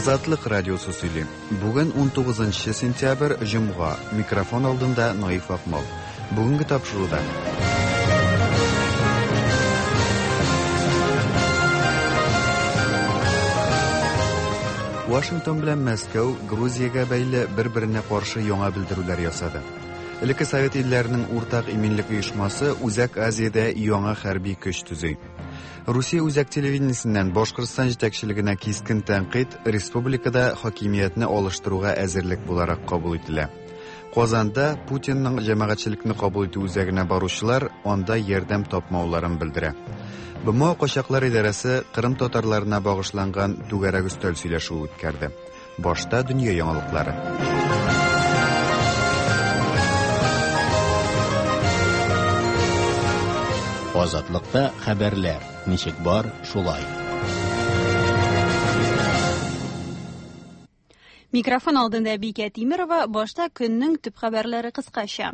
Азатлык радиосы сөйли. Бүген 19 сентябрь, җомга. Микрофон алдында Наиф Акмал. Бүгенге тапшыруда. Вашингтон белән Мәскәү Грузиягә бәйле бер-беренә каршы яңа белдерүләр ясады. Элекке Совет илләренең уртак иминлек оешмасы Үзәк Азиядә яңа хәрби көч төзи. Русия үзәк телевидениесеннән Башкортстан җитәкчелегенә кискен тәнкыйть республикада хакимиятне алыштыруга әзерлек буларак кабул ителә. Казанда Путинның җәмәгатьчелекне кабул итү үзәгенә баручылар анда ярдәм тапмауларын белдерә. БМО качаклар идарәсе Кырым татарларына багышланган түгәрәк өстәл сөйләшүе үткәрде. Башта дөнья яңалыклары. Азатлыкта хәбәрләр ничек бар, шулай. Микрофон алдында Бикә Тимерова, башта көннең төп хәбәрләре кыскача.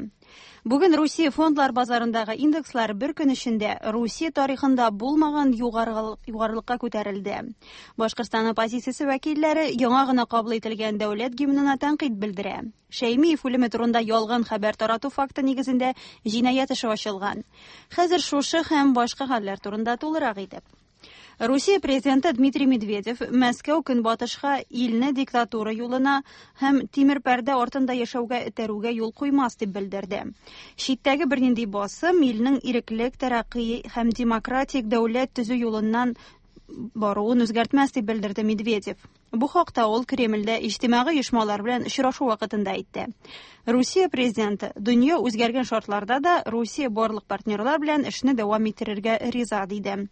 Бүген Русия фондлар базарындагы индекслар бер көн эчендә Русия тарихында булмаган югарылыкка күтәрелде. Башкортстан оппозициясе вәкилләре яңа гына кабул ителгән дәүләт гимнына тәнкыйть белдерә. Шәймиев үлеме турында ялган хәбәр тарату факты нигезендә җинаять эше ачылган. Хәзер шушы һәм башка хәлләр турында тулырак итеп. Русия президенты Дмитрий Медведев Мәскәү көнбатышка илне диктатура юлына һәм тимер пәрдә артында яшәүгә этәрүгә юл куймас дип белдерде. Читтәге бернинди басым илнең иреклек, тәрәкъи һәм демократик дәүләт төзү юлыннан баруын үзгәртмәс дип белдерде Медведев. Бу хакта ул Кремльдә иҗтимагый оешмалар белән очрашу вакытында әйтте. Русия президенты дөнья үзгәргән шартларда да Русия барлык партнерлар белән эшне дәвам иттерергә риза диде.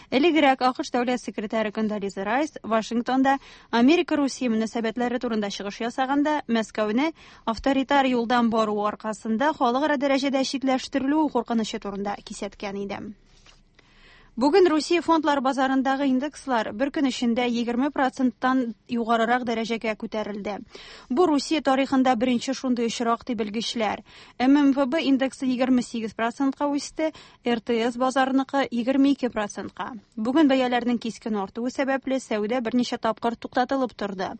Элегрәк АКШ дәүләт секретаре Кондолиза Райс Вашингтонда Америка-Русия мөнәсәбәтләре турында чыгыш ясаганда Мәскәүне авторитар юлдан баруы аркасында халыкара дәрәҗәдә читләштерелү куркынычы турында кисәткән иде. Бүген Русия фондлар базарындагы индекслар бер көн эчендә 20%-тан югарырак дәрәҗәгә күтәрелде. Бу Русия тарихында беренче шундый очрак дип белгечләр. ММВБ индексы 28%-ка үсте, РТС базарыныкы 22%-ка. Бүген бәяләрнең кискен артуы сәбәпле сәүдә берничә тапкыр туктатылып торды.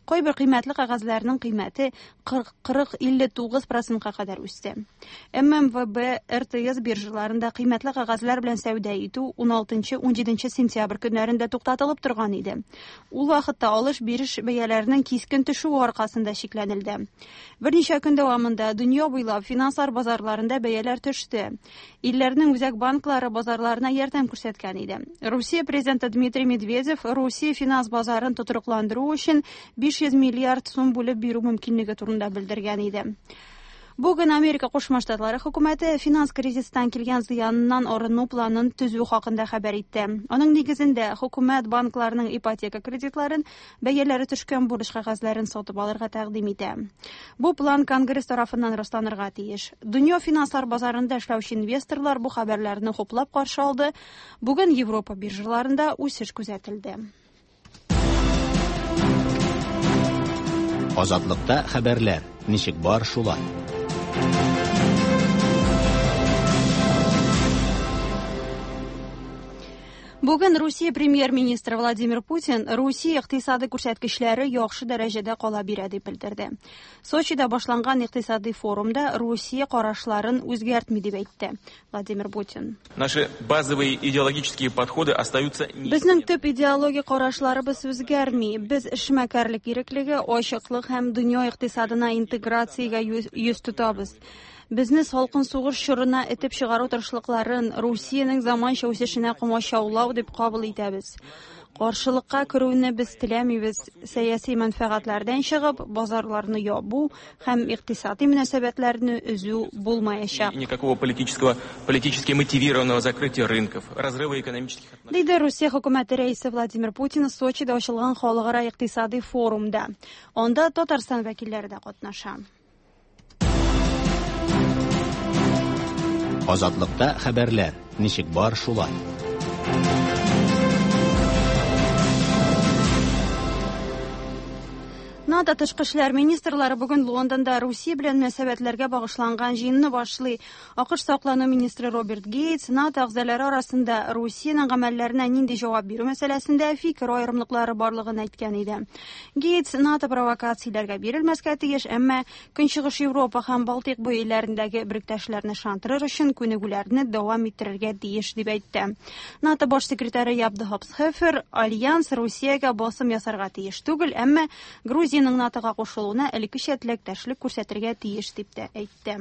Кайбер кыйммәтле кәгазьләрнең кыйммәте 40-59%-ка кадәр үсте. ММВБ, РТС биржаларында кыйммәтле кәгазьләр белән сәүдә итү 16-17 сентябрь көннәрендә туктатылып торган иде. Ул вакытта алыш-биреш бәяләренең кискен төшүе аркасында чикләнелде. Берничә көн дәвамында дөнья буйлап финанслар базарларында бәяләр төште. Илләрнең үзәк банклары базарларына ярдәм күрсәткән иде. Русия президенты Дмитрий Медведев Русия финанс базарын тотрыкландыру өчен 500 миллиард сум бүлеп бирү мөмкинлеге турында белдергән иде. Бүген Америка Кушма Штатлары хөкүмәте финанс кризистан килгән зыяныннан арыну планын төзү хакында хәбәр итте. Аның нигезендә хөкүмәт банкларның ипотека кредитларын бәяләре төшкән бурыч кәгазьләрен сатып алырга тәкъдим итә. Бу план Конгресс тарафыннан расланырга тиеш. Дөнья финанслар базарында эшләүче инвесторлар бу хәбәрләрне хуплап каршы алды. Бүген Европа биржаларында үсеш күзәтелде. Азатлыкта хәбәрләр ничек бар, шулай. Бүген Русия премьер-министры Владимир Путин Русия икътисады күрсәткечләре яхшы дәрәҗәдә кала бирә дип белдерде. Сочида башланган икътисади форумда Русия карашларын үзгәртми дип әйтте Владимир Путин. Наши базовые идеологические подходы остаются Безнең төп идеологик карашларыбыз үзгәрми. Без эшмәкәрлек иреклеге, ачыклык һәм дөнья икътисадына интеграциягә йөз тотабыз. Безне салкын сугыш чорына этеп чыгару тырышлыкларын Русиянең заманча үсешенә комачаулау дип кабул итәбез. Каршылыкка керүне без теләмибез. Сәяси мәнфәгатьләрдән чыгып, базарларны ябу һәм икътисади мөнәсәбәтләрне өзү булмаячак. Никакого политически мотивированного закрытия рынков, разрыва экономических отношений. Диде Русия хөкүмәте рәисе Владимир Путин Сочида ачылган халыкара икътисади форумда. Анда Татарстан вәкилләре дә катнаша. Азатлыкта хәбәрләр ничек бар, шулай. НАТО НАТО тышкы эшләр министрлары бүген Лондонда Русия белән мөнәсәбәтләргә багышланган җыенны башлый. АКШ саклану министры Роберт Гейтс НАТО әгъзалары арасында Русиянең гамәлләренә нинди җавап бирү мәсьәләсендә фикер аерымлыклары барлыгын әйткән иде. Гейтс НАТО провокацияләргә бирелмәскә тиеш, әмма Көнчыгыш Европа һәм Балтыйк буе илләрендәге беректәшләрне ышандырыр өчен күнегүләрне дәвам иттерергә тиеш дип әйтте. НАТО баш секретаре Яб де Хопсхефер Альянс Русиягә басым ясарга тиеш түгел, әмма Грузиянең НАТОга кушылуына элеккечә теләктәшлек күрсәтергә тиеш дип тә әйтте.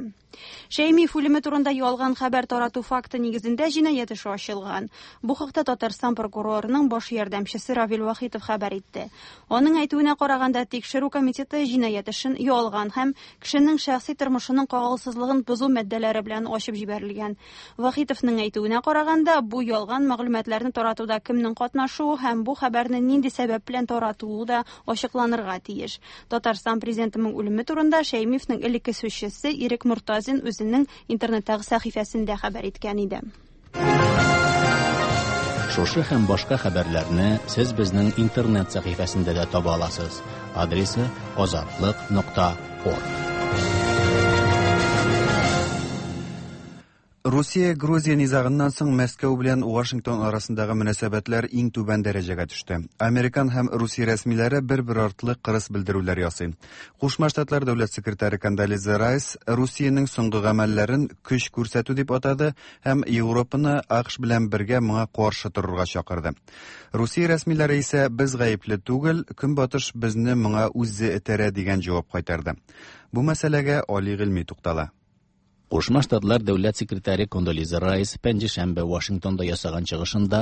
Шәймиев үлеме турында ялган хәбәр тарату факты нигезендә җинаять эше ачылган. Бу хакта Татарстан прокурорының баш ярдәмчесе Равил Вахитов хәбәр итте. Аның әйтүенә караганда, тикшерү комитеты җинаять эшен ялган һәм кешенең шәхси тормышының кагылсызлыгын бозу маддәләре белән ачып җибәрелгән. Вахитовның әйтүенә караганда, бу ялган мәгълүматларны таратуда кемнең катнашуы һәм бу хәбәрне нинди сәбәп белән таратуы да ачыкланырга тиеш. Татарстан президентының үлеме турында Шәймиевнең элекке сүзчесе Ирек Мортазин үзенең интернеттагы сәхифәсендә хәбәр иткән иде. Шушы һәм башка хәбәрләрне сез безнең интернет сәхифәсендә дә таба аласыз. Адресы азатлык.орг. Русия-Грузия низагыннан соң Мәскәү белән Вашингтон арасындагы мөнәсәбәтләр иң түбән дәрәҗәгә төште. Американ һәм Русия рәсмиләре бер-бер артлы кырыс белдерүләр ясый. Кушма Штатлар дәүләт секретаре Кондолиза Райс Русиянең соңгы гамәлләрен көч күрсәтү дип атады һәм Европаны АКШ белән бергә моңа каршы торырга чакырды. Русия рәсмиләре исә без гаепле түгел, Көнбатыш безне моңа үзе этәрә дигән җавап кайтарды. Бу мәсьәләгә Али Гыйльми туктала. Кушма Штатлар дәүләт секретаре Кондолиза Райс пәнҗешәмбе Вашингтонда ясаган чыгышында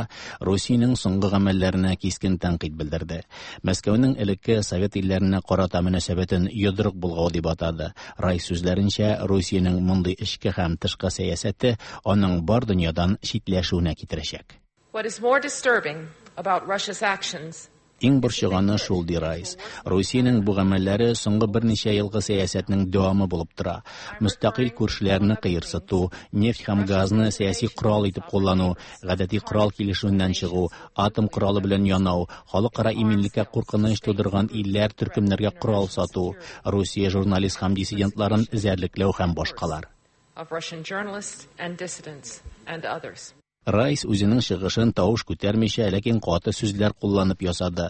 Русиянең соңгы гамәлләренә кискен тәнкыйть белдерде. Мәскәүнең элекке совет илләренә карата мөнәсәбәтен йодрык болгау дип атады. Райс сүзләренчә, Русиянең мондый эчке һәм тышкы сәясәте аның бар дөньядан читләшүенә китерәчәк. What is more disturbing about Russia's actions Иң борчыганы шул, ди Райс. Русиянең бу гамәлләре соңгы берничә елгы сәясәтнең дәвамы булып тора. Мөстәкыйль күршеләрне кыерсыту, нефть һәм газны сәяси корал итеп куллану, гадәти корал килешүеннән чыгу, атом коралы белән янау, халыкара иминлеккә куркыныч тудырган илләр төркемнәргә корал сату, Русия журналист һәм диссидентларын эзәрлекләү һәм башкалар. of Russian journalists and dissidents and others. Райс үзенең чыгышын тавыш күтәрмичә, ләкин каты сүзләр кулланып ясады.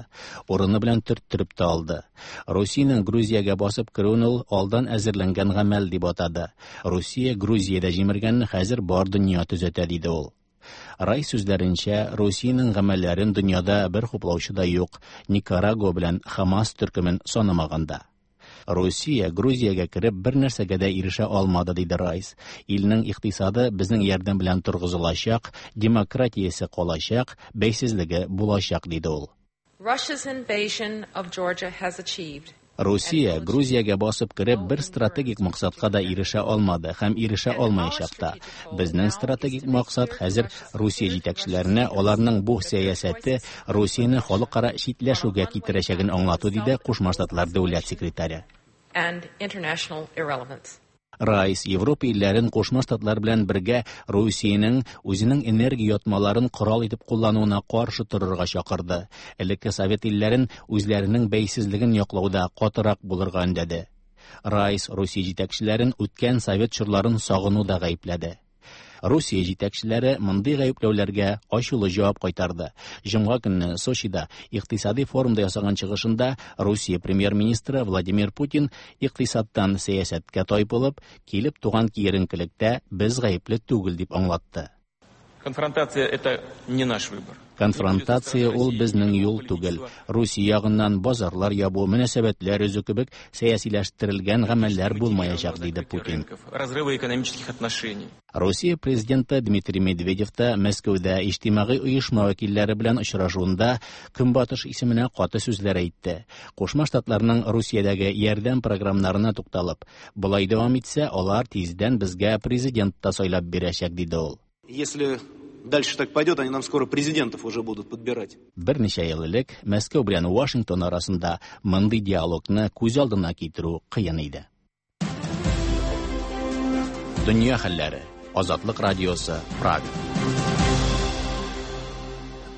Урыны белән төрттереп тә алды. Русиянең Грузиягә басып керүен ул алдан әзерләнгән гамәл дип атады. Русия Грузиядә җимергәнне хәзер бар дөнья төзәтә, диде ул. Райс сүзләренчә, Русиянең гамәлләрен дөньяда бер хуплаучы да юк, Никарагуа белән Хамас төркемен санамаганда. Русия Грузиягә кереп бер нәрсәгә дә ирешә алмады, диде Райс. Илнең икътисады безнең ярдәм белән торгызылачак, демократиясе калачак, бәйсезлеге булачак, диде ул. Russia's invasion of Georgia has achieved Русия Грузиягә басып кереп бер стратегик максатка да ирешә алмады һәм ирешә алмаячак та. Безнең стратегик максат хәзер Русия җитәкчеләренә аларның бу сәясәте Русияне халыкара читләшүгә китерәчәген аңлату, диде Кушма Штатлар дәүләт секретаре. and international irrelevance. Райс Европа илләрен Кушма Штатлар белән бергә Русиянең үзенең энергия ятмаларын корал итеп куллануына каршы торырга чакырды. Элекке совет илләрен үзләренең бәйсезлеген яклауда катырак булырга өндәде. Райс Русия җитәкчеләрен үткән совет чорларын сагынуда гаепләде. Русия җитәкчеләре мондый гаепләүләргә ачулы җавап кайтарды. Җомга көнне Сочида икътисади форумда ясаган чыгышында Русия премьер-министры Владимир Путин икътисадтан сәясәткә тайпылып, килеп туган киеренкелектә без гаепле түгел дип аңлатты. Конфронтация – это не наш выбор. Конфронтация ул безнең юл түгел. Русия ягыннан базарлар ябу, мөнәсәбәтләр өзү кебек сәясиләштерелгән гамәлләр булмаячак, диде Путин. Разрыва экономических отношений. Русия президенты Дмитрий Медведев та Мәскәүдә иҗтимагый оешма вәкилләре белән очрашуында Көнбатыш исеменә каты сүзләр әйтте. Кушма Штатларның Русиядәге ярдәм программаларына тукталып, болай дәвам итсә, алар тиздән безгә президент та сайлап бирәчәк, диде ул. Если дальше так пойдет, они нам скоро президентов уже будут подбирать. Берничә ел элек Мәскәү белән Вашингтон арасында мондый диалогны күз алдына китерү кыен иде. Дөнья хәлләре. Азатлык радиосы, Прага.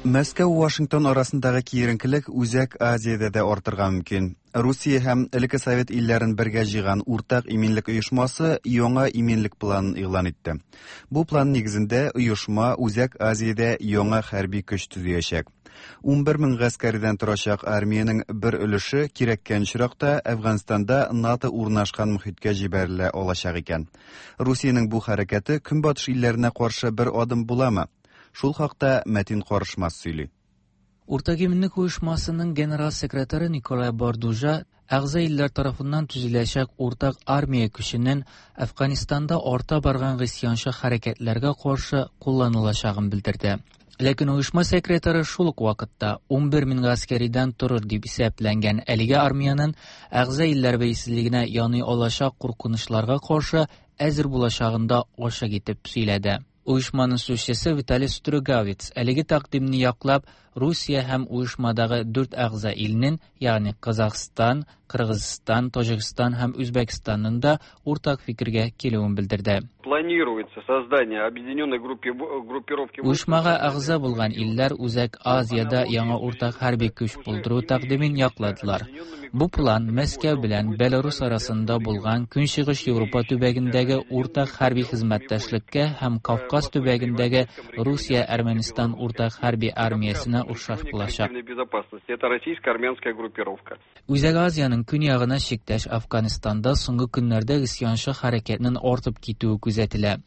Мәскәү Вашингтон арасындагы киеренкелек Үзәк Азиядә дә артырга мөмкин. Русия һәм элекке совет илләрен бергә җыйган Уртак иминлек оешмасы яңа иминлек планын игълан итте. Бу план нигезендә оешма Үзәк Азиядә яңа хәрби көч төзиячәк. 11 мең гаскәридән торачак армиянең бер өлеше кирәккән очракта Әфганстанда НАТО урнашкан мохиткә җибәрелә алачак икән. Русиянең бу хәрәкәте Көнбатыш илләренә каршы бер адым буламы? Шул хакта Мәтин Карышмас сөйли. Уртак иминлек оешмасының генерал секретаре Николай Бордужа әгъза илләр тарафыннан төзеләчәк уртак армия көченең Әфганстанда арта барган гыйсьянчы хәрәкәтләргә каршы кулланылачагын белдерде. Ләкин оешма секретаре шул ук вакытта 11 мең гаскәридән торыр дип исәпләнгән әлеге армиянең әгъза илләр бәйсезлегенә яный алачак куркынычларга каршы әзер булачагын да ачык итеп сөйләде. Оешманың сүзчесе Виталий Стругавиц әлеге тәкъдимне яклап, Русия һәм оешмадагы дүрт әгъза илнең, ягъни Казахстан, Кыргызстан, Таҗикстан һәм Үзбәкстанның да уртак фикергә килүен белдерде. Планируется создание объединенной группировки. Оешмага әгъза булган илләр Үзәк Азиядә яңа уртак хәрби көч булдыру тәкъдимен якладылар. Бу план Мәскәү белән Беларусь арасында булган Көнчыгыш Европа төбәгендәге уртак хәрби хезмәттәшлеккә һәм Кавказ төбәгендәге Русия-Әрмәнстан уртак хәрби армиясенә охшаш булачак. Это российско-армянская группировка. Үзәк Азиянең көньягына чиктәш Афганистанда соңгы көннәрдә гыйсьянчы хәрәкәтнең артып китүе күзәтелә.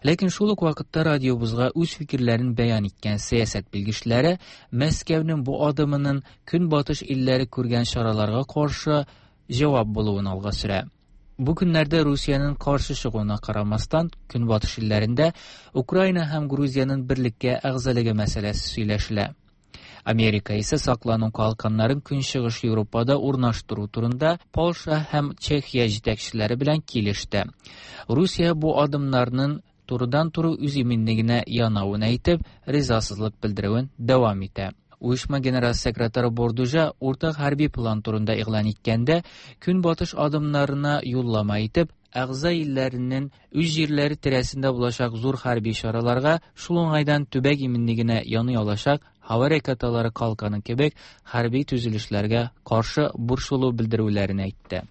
Ләкин шул ук вакытта радиобызга үз фикерләрен бәян иткән сәясәт белгечләре Мәскәүнең бу адымының Көнбатыш илләре күргән чараларга каршы җавап булуын алга сөрә. Бу көннәрдә Русиянең каршы чыгуына карамастан, Көнбатыш илләрендә Украина һәм Грузиянең берлеккә әгъзалыгы мәсьәләсе сөйләшелә. Америка исә саклану калканнарын Көнчыгыш Европада урнаштыру турында Польша һәм Чехия җитәкчеләре белән килеште. Русия бу адымнарның турыдан-туры үз иминлегенә янавын әйтеп, ризасызлык белдерүен дәвам итә. Оешма генераль секретаре Бордужа уртак хәрби план турында игълан иткәндә, Көнбатыш адымнарына юллама итеп, әгъза илләренең үз җирләре тирәсендә булачак зур хәрби чараларга, шул уңайдан төбәк иминлегенә яный алачак һава ракеталары калканы кебек хәрби төзелешләргә каршы борчылу белдерүләрен әйтте.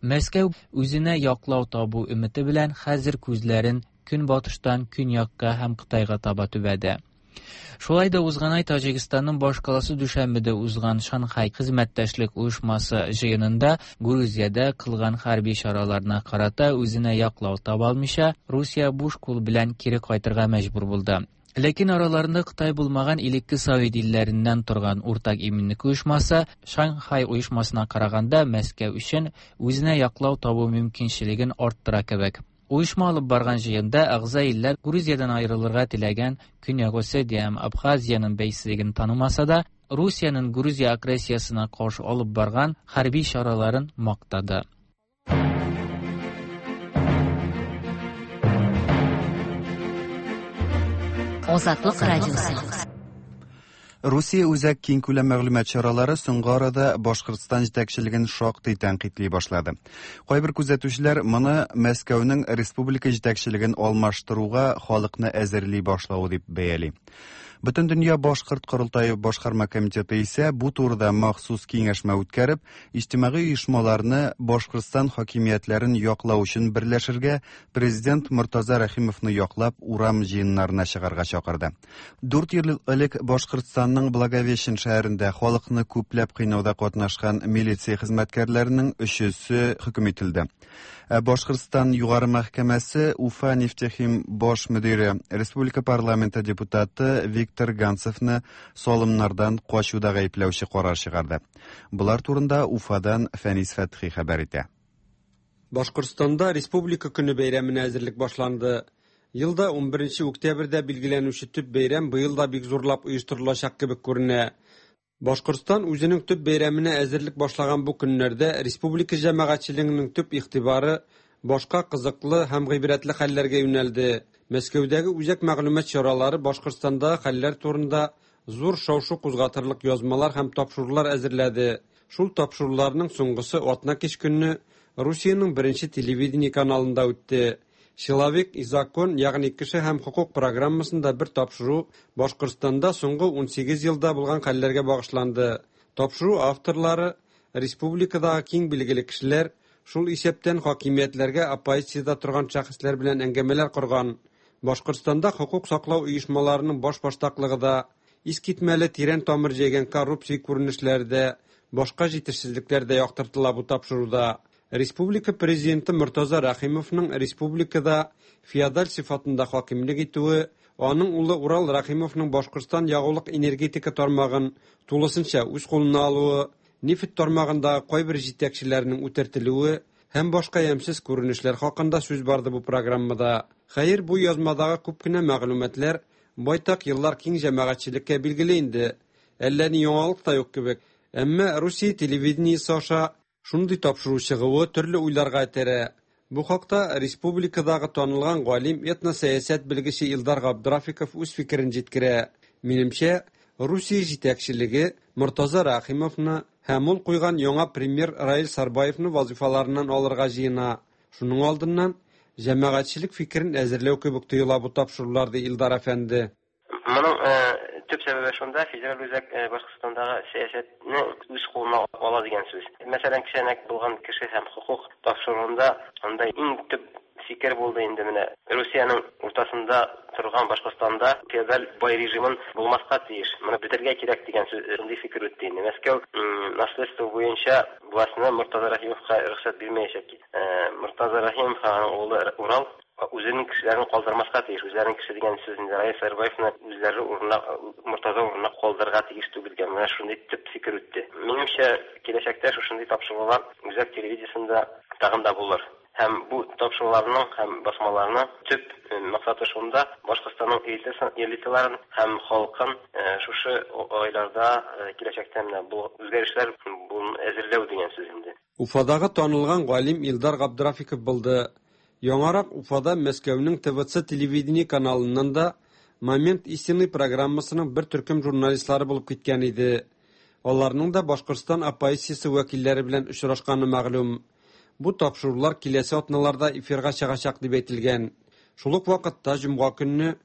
Мәскәү үзенә яклау табу өмете белән хәзер күзләрен көнбатыштан көньякка һәм Кытайга таба төбәде. Шулай да узган ай Таҗикстанның башкаласы Дүшәнбедә узган Шанхай хезмәттәшлек оешмасы җыенында Грузиядә кылган хәрби чараларына карата үзенә яклау таба алмыйча, Русия буш кул белән кире кайтырга мәҗбүр булды. Ләкин араларында Кытай булмаган элекке совет илләреннән торган уртак иминлек оешмасы Шанхай оешмасына караганда Мәскәү өчен үзенә яклау табу мөмкинчелеген арттыра кебек. Оешма алып барган җыенда әгъза илләр Грузиядән аерылырга теләгән Көньяк Осетия һәм Абхазиянең бәйсезлеген танымаса да, Русиянең Грузия агрессиясенә каршы алып барган хәрби чараларын мактады. Азатлык радиосы. Русия үзәк киңкүләм мәгълүмат чаралары соңгы арада Башкортстан җитәкчелеген шактый тәнкыйтьли башлады. Кайбер күзәтүчеләр моны Мәскәүнең республика җитәкчелеген алмаштыруга халыкны әзерли башлавы дип бәяли. Бөтендөнья башкорт корылтае башкарма комитеты исә бу турыда махсус киңәшмә үткәреп, иҗтимагый оешмаларны Башкортстан хакимиятләрен яклау өчен берләшергә, президент Мортаза Рәхимовны яклап урам җыеннарына чыгарга чакырды. 4 ел элек Башкортстанның Благовещен шәһәрендә халыкны күпләп кыйнауда катнашкан милиция хезмәткәрләренең өчесе хөкем ителде. Башкортстан Югары мәхкәмәсе Уфа нефтехим баш мөдире, республика парламенты депутаты Виктор Ганцевны салымнардан качуда гаепләүче карар чыгарды. Болар турында Уфадан Фәнис Фәтхи хәбәр итә. Башкортстанда Республика көне бәйрәменә әзерлек башланды. Елда 11 октябрьдә билгеләнүче төп бәйрәм быел да бик зурлап оештырылачак кебек күренә. Башкортстан үзенең төп бәйрәменә әзерлек башлаган бу көннәрдә республика җәмәгатьчелегенең төп игътибары башка кызыклы һәм гыйбрәтле хәлләргә юнәлде. Мәскәүдәге үзәк мәгълүмат чаралары Башкортстандагы хәлләр турында зур шау-шу кузгатырлык язмалар һәм тапшырулар әзерләде. Шул тапшыруларның соңгысы атна кич көнне Русиянең беренче телевидение каналында үтте. Человек и закон, ягъни кеше һәм хокук программасында бер тапшыру Башкортстанда соңгы 18 елда булган хәлләргә багышланды. Тапшыру авторлары республикадагы киң билгеле кешеләр, шул исәптән хакимиятләргә оппозициядә торган шәхесләр белән әңгәмәләр корган. Башкортстанда хокук саклау оешмаларының башбаштаклыгы да, искитмәле тирән тамыр җәйгән коррупция күренешләре дә, башка җитешсезлекләр дә яктыртыла бу тапшыруда. Республика президенты Мортаза Рәхимовның республикада феодаль сыйфатында хакимлек итүе, аның улы Урал Рәхимовның Башкортстан ягулык-энергетика тармагын тулысынча үз кулына алуы, нефть тармагындагы кайбер җитәкчеләрнең үтертелүе һәм башка ямьсез күренешләр хакында сүз барды бу программада. Хәер, бу язмадагы күп кенә мәгълүматлар байтак еллар киң җәмәгатьчелеккә билгеле инде. Әллә ни яңалык та юк кебек. Әмма Русия телевидениесе аша шундый тапшыру чыгуы төрле уйларга этәрә. Бу хакта республикадагы танылган галим, этносәясәт белгече Илдар Габдрафиков үз фикерен җиткерә. Минемчә, Русия җитәкчелеге Мортаза Рәхимовны һәм ул куйган яңа премьер Раил Сарбаевны вазифаларыннан алырга җыена. Шуның алдыннан җәмәгатьчелек фикерен әзерләү кебек тоела бу тапшырулар, ди Илдар әфәнде. Моның төп сәбәбе шунда, федераль үзәк Башкортстандагы сәясәтне үз кулына ала дигән сүз. Мәсәлән, кечәнәк булган кеше һәм хокук тапшыруында анда иң төп фикер булды инде менә Русиянең уртасында торган Башкортстанда феодаль бай режимын булмаска тиеш. Моны бетерергә кирәк дигән сүз, шундый фикер үтте инде. Мәскәү наследство буенча властьны Мортаза Рәхимовка рөхсәт бирмәячәк. Мортаза Рәхимов һәм аның улы Урал үзенең кешеләрен калдырмаска тиеш. Үзләренең кеше дигән сүз инде Раил Сарбаевны үзләре урынына, Мортаза урынына калдырырга тиеш түгел дигән менә шундый төп фикер үтте. Минемчә, киләчәктә шушындый тапшырулар үзәк телевидениесендә тагын да булыр. Һәм бу тапшыруларның һәм басмаларның төп максаты шунда, Башкортстанның элиталарын һәм халкын шушы айларда киләчәктә менә бу үзгәрешләр әзерләү дигән сүз инде. Уфадагы танылган галим Илдар Габдрафиков булды. Яңарак Уфада Мәскәүнең ТВЦ телевидение каналыннан да Момент истины программасының бер төркем журналистлары булып киткән иде. Аларның да Башкортстан оппозициясе вәкилләре белән очрашканы мәгълүм. Бу тапшырулар киләсе атналарда эфирга чыгачак дип әйтелгән. Шул ук вакытта җомга көнне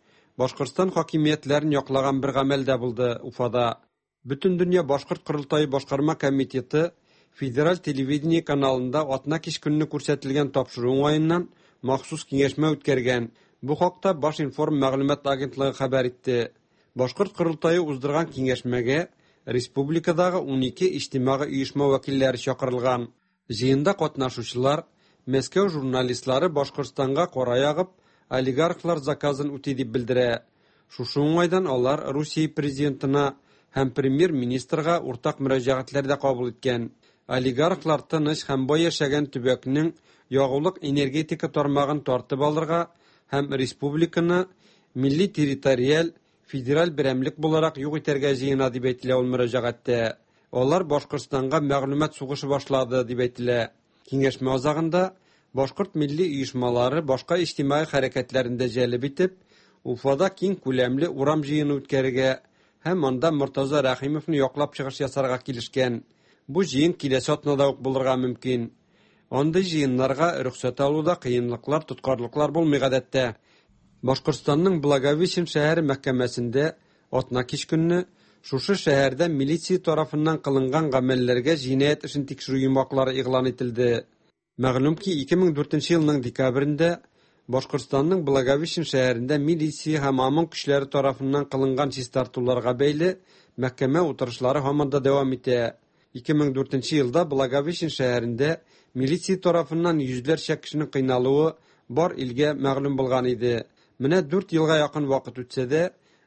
Башкортстан хакимиятләрен яклаган бер гамәл дә булды Уфада. Бөтендөнья башкорт корылтае башкарма комитеты федераль телевидение каналында атна кич көнне күрсәтелгән тапшыру уңаеннан махсус киңәшмә үткәргән. Бу хакта Башинформ мәгълүмат агентлыгы хәбәр итте. Башкорт корылтае уздырган киңәшмәгә республикадагы 12 иҗтимагый оешма вәкилләре чакырылган. Җыенда катнашучылар Мәскәү журналистлары Башкортстанга кара ягып, олигархлар заказын үти дип белдерә. Шушы уңайдан алар Русия президентына һәм премьер-министрга уртак мөрәҗәгатьләр дә кабул иткән. Олигархлар тыныч һәм бай яшәгән төбәкнең ягулык-энергетика тармагын тартып алырга һәм республиканы милли территориаль федераль берәмлек буларак юк итәргә җыена дип әйтелә ул мөрәҗәгатьтә. Алар Башкортстанга мәгълүмат сугышы башлады дип әйтелә. Киңәшмә азагында башкорт милли оешмалары башка иҗтимагый хәрәкәтләрен дә җәлеп итеп, Уфада киң күләмле урам җыены үткәрергә һәм анда Мортаза Рәхимовны яклап чыгыш ясарга килешкән. Бу җыен киләсе атнада ук булырга мөмкин. Андый җыеннарга рөхсәт алуда кыенлыклар, тоткарлыклар булмый гадәттә. Башкортстанның Благовещен шәһәре мәхкәмәсендә атна кич көнне шушы шәһәрдә милиция тарафыннан кылынган гамәлләргә җинаять эшен тикшерү йомгаклары игълан ителде. Мәгълүм ки, 2004 елның декабрендә Башкортстанның Благовещен шәһәрендә милиция һәм ОМОН көчләре тарафыннан кылынган чистартуларга бәйле мәхкәмә утырышлары һаман да дәвам итә. 2004 елда Благовещен шәһәрендә милиция тарафыннан йөзләрчә кешенең кыйналуы бар илгә мәгълүм булган иде. Менә 4 елга якын вакыт үтсә дә,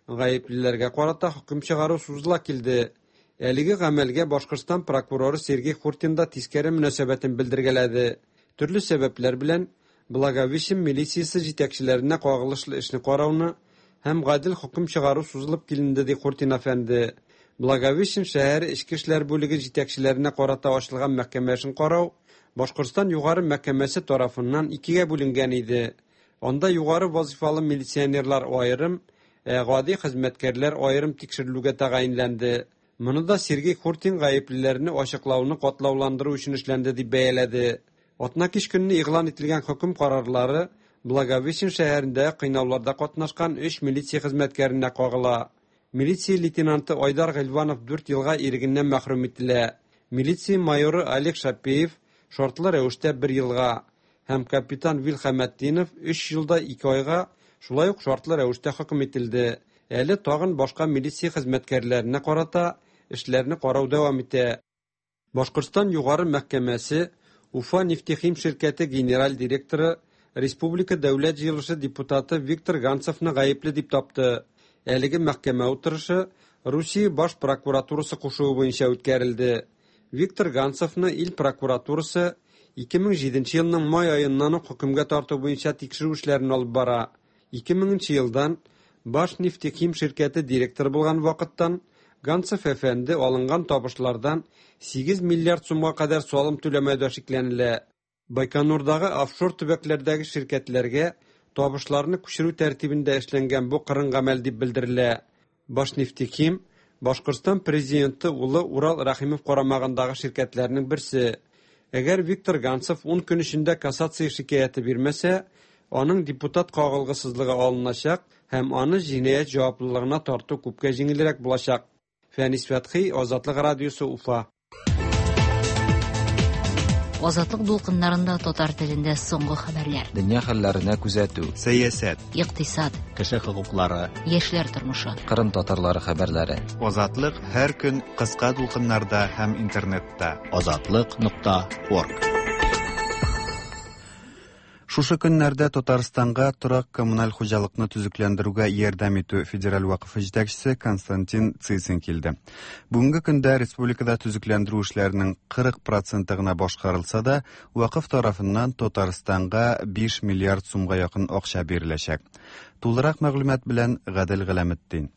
гаеплеләргә карата хөкем чыгару сузыла килде. Әлеге гамәлгә Башкортстан прокуроры Сергей Хуртин да тискәре мөнәсәбәтен белдергәләде. Төрле сәбәпләр белән Благовещен милициясе җитәкчеләренә кагылышлы эшне карауны һәм гадел хөкем чыгару сузылып киленде, ди Хуртин әфәнде. Благовещен шәһәре эчке эшләр бүлеге җитәкчеләренә карата ачылган мәхкәмә эшен карау Башкортстан югары мәхкәмәсе тарафыннан икегә бүленгән иде. Анда югары вазифалы милиционерлар аерым, ә гади хезмәткәрләр аерым тикшерелүгә тәгаенләнде. Моны да Сергей Хуртин гаеплеләрне ачыклауны катлауландыру өчен эшләнде дип бәяләде. Атна кич көнне игълан ителгән хөкем карарлары Благовещен шәһәрендә кыйнауларда катнашкан 3 милиция хезмәткәренә кагыла. Милиция лейтенанты Айдар Гыйльванов 4 елга ирегеннән мәхрүм ителә. Милиция майоры Олег Шапеев шартлы рәвештә бер елга һәм капитан Вил Хәмәтдинов 3 ел да 2 айга шулай ук шартлы рәвештә хөкем ителде. Әле тагын башка милиция хезмәткәрләренә карата эшләрне карау дәвам итә. Башкортстан Югары мәхкәмәсе Уфа нефтехим ширкәте генераль директоры, Республика Дәүләт җыелышы депутаты Виктор Ганцевны гаепле дип тапты. Әлеге мәхкәмә утырышы Русия баш прокуратурасы кушуы буенча үткәрелде. Виктор Ганцевны ил прокуратурасы 2007 елның май аеннан ук хөкемгә тарту буенча тикшерү эшләрен алып бара. 2000 елдан Башнефтехим ширкәте директоры булган вакыттан Ганцев әфәнде алынган табышлардан 8 миллиард сумга кадәр салым түләмәүдә шикләнелә. Байконурдагы офшор төбәкләрдәге ширкәтләргә табышларны күчерү тәртибендә эшләнгән бу кырын гамәл дип белдерелә. Башнефтехим Башкортстан президенты улы Урал Рәхимов карамагындагы ширкәтләрнең берсе. Әгәр Виктор Ганцев 10 көн эчендә кассация шикаяте бирмәсә, аның депутат кагылгысызлыгы алыначак һәм аны җинаять җаваплылыгына тарту күпкә җиңелрәк булачак. Фәнис Фәтхи, Азатлык радиосы, Уфа. Азатлык дулкыннарында татар телендә соңгы хәбәрләр. Дөнья хәлләренә күзәтү. Сәясәт. Икътисад. Кеше хокуклары. Яшьләр тормышы. Кырым татарлары хәбәрләре. Азатлык һәр көн кыска дулкыннарда һәм интернетта. Азатлык.орг. Шушы көннәрдә Татарстанга торак-коммуналь хуҗалыкны төзекләндерүгә ярдәм итү федераль вакыфы җитәкчесе Константин Цицин килде. Бүгенге көндә республикада төзекләндерү эшләренең 40 проценты гына башкарылса да, вакыф тарафыннан Татарстанга 5 миллиард сумга якын акча биреләчәк. Тулырак мәгълүмат белән Гадел Галәметдин.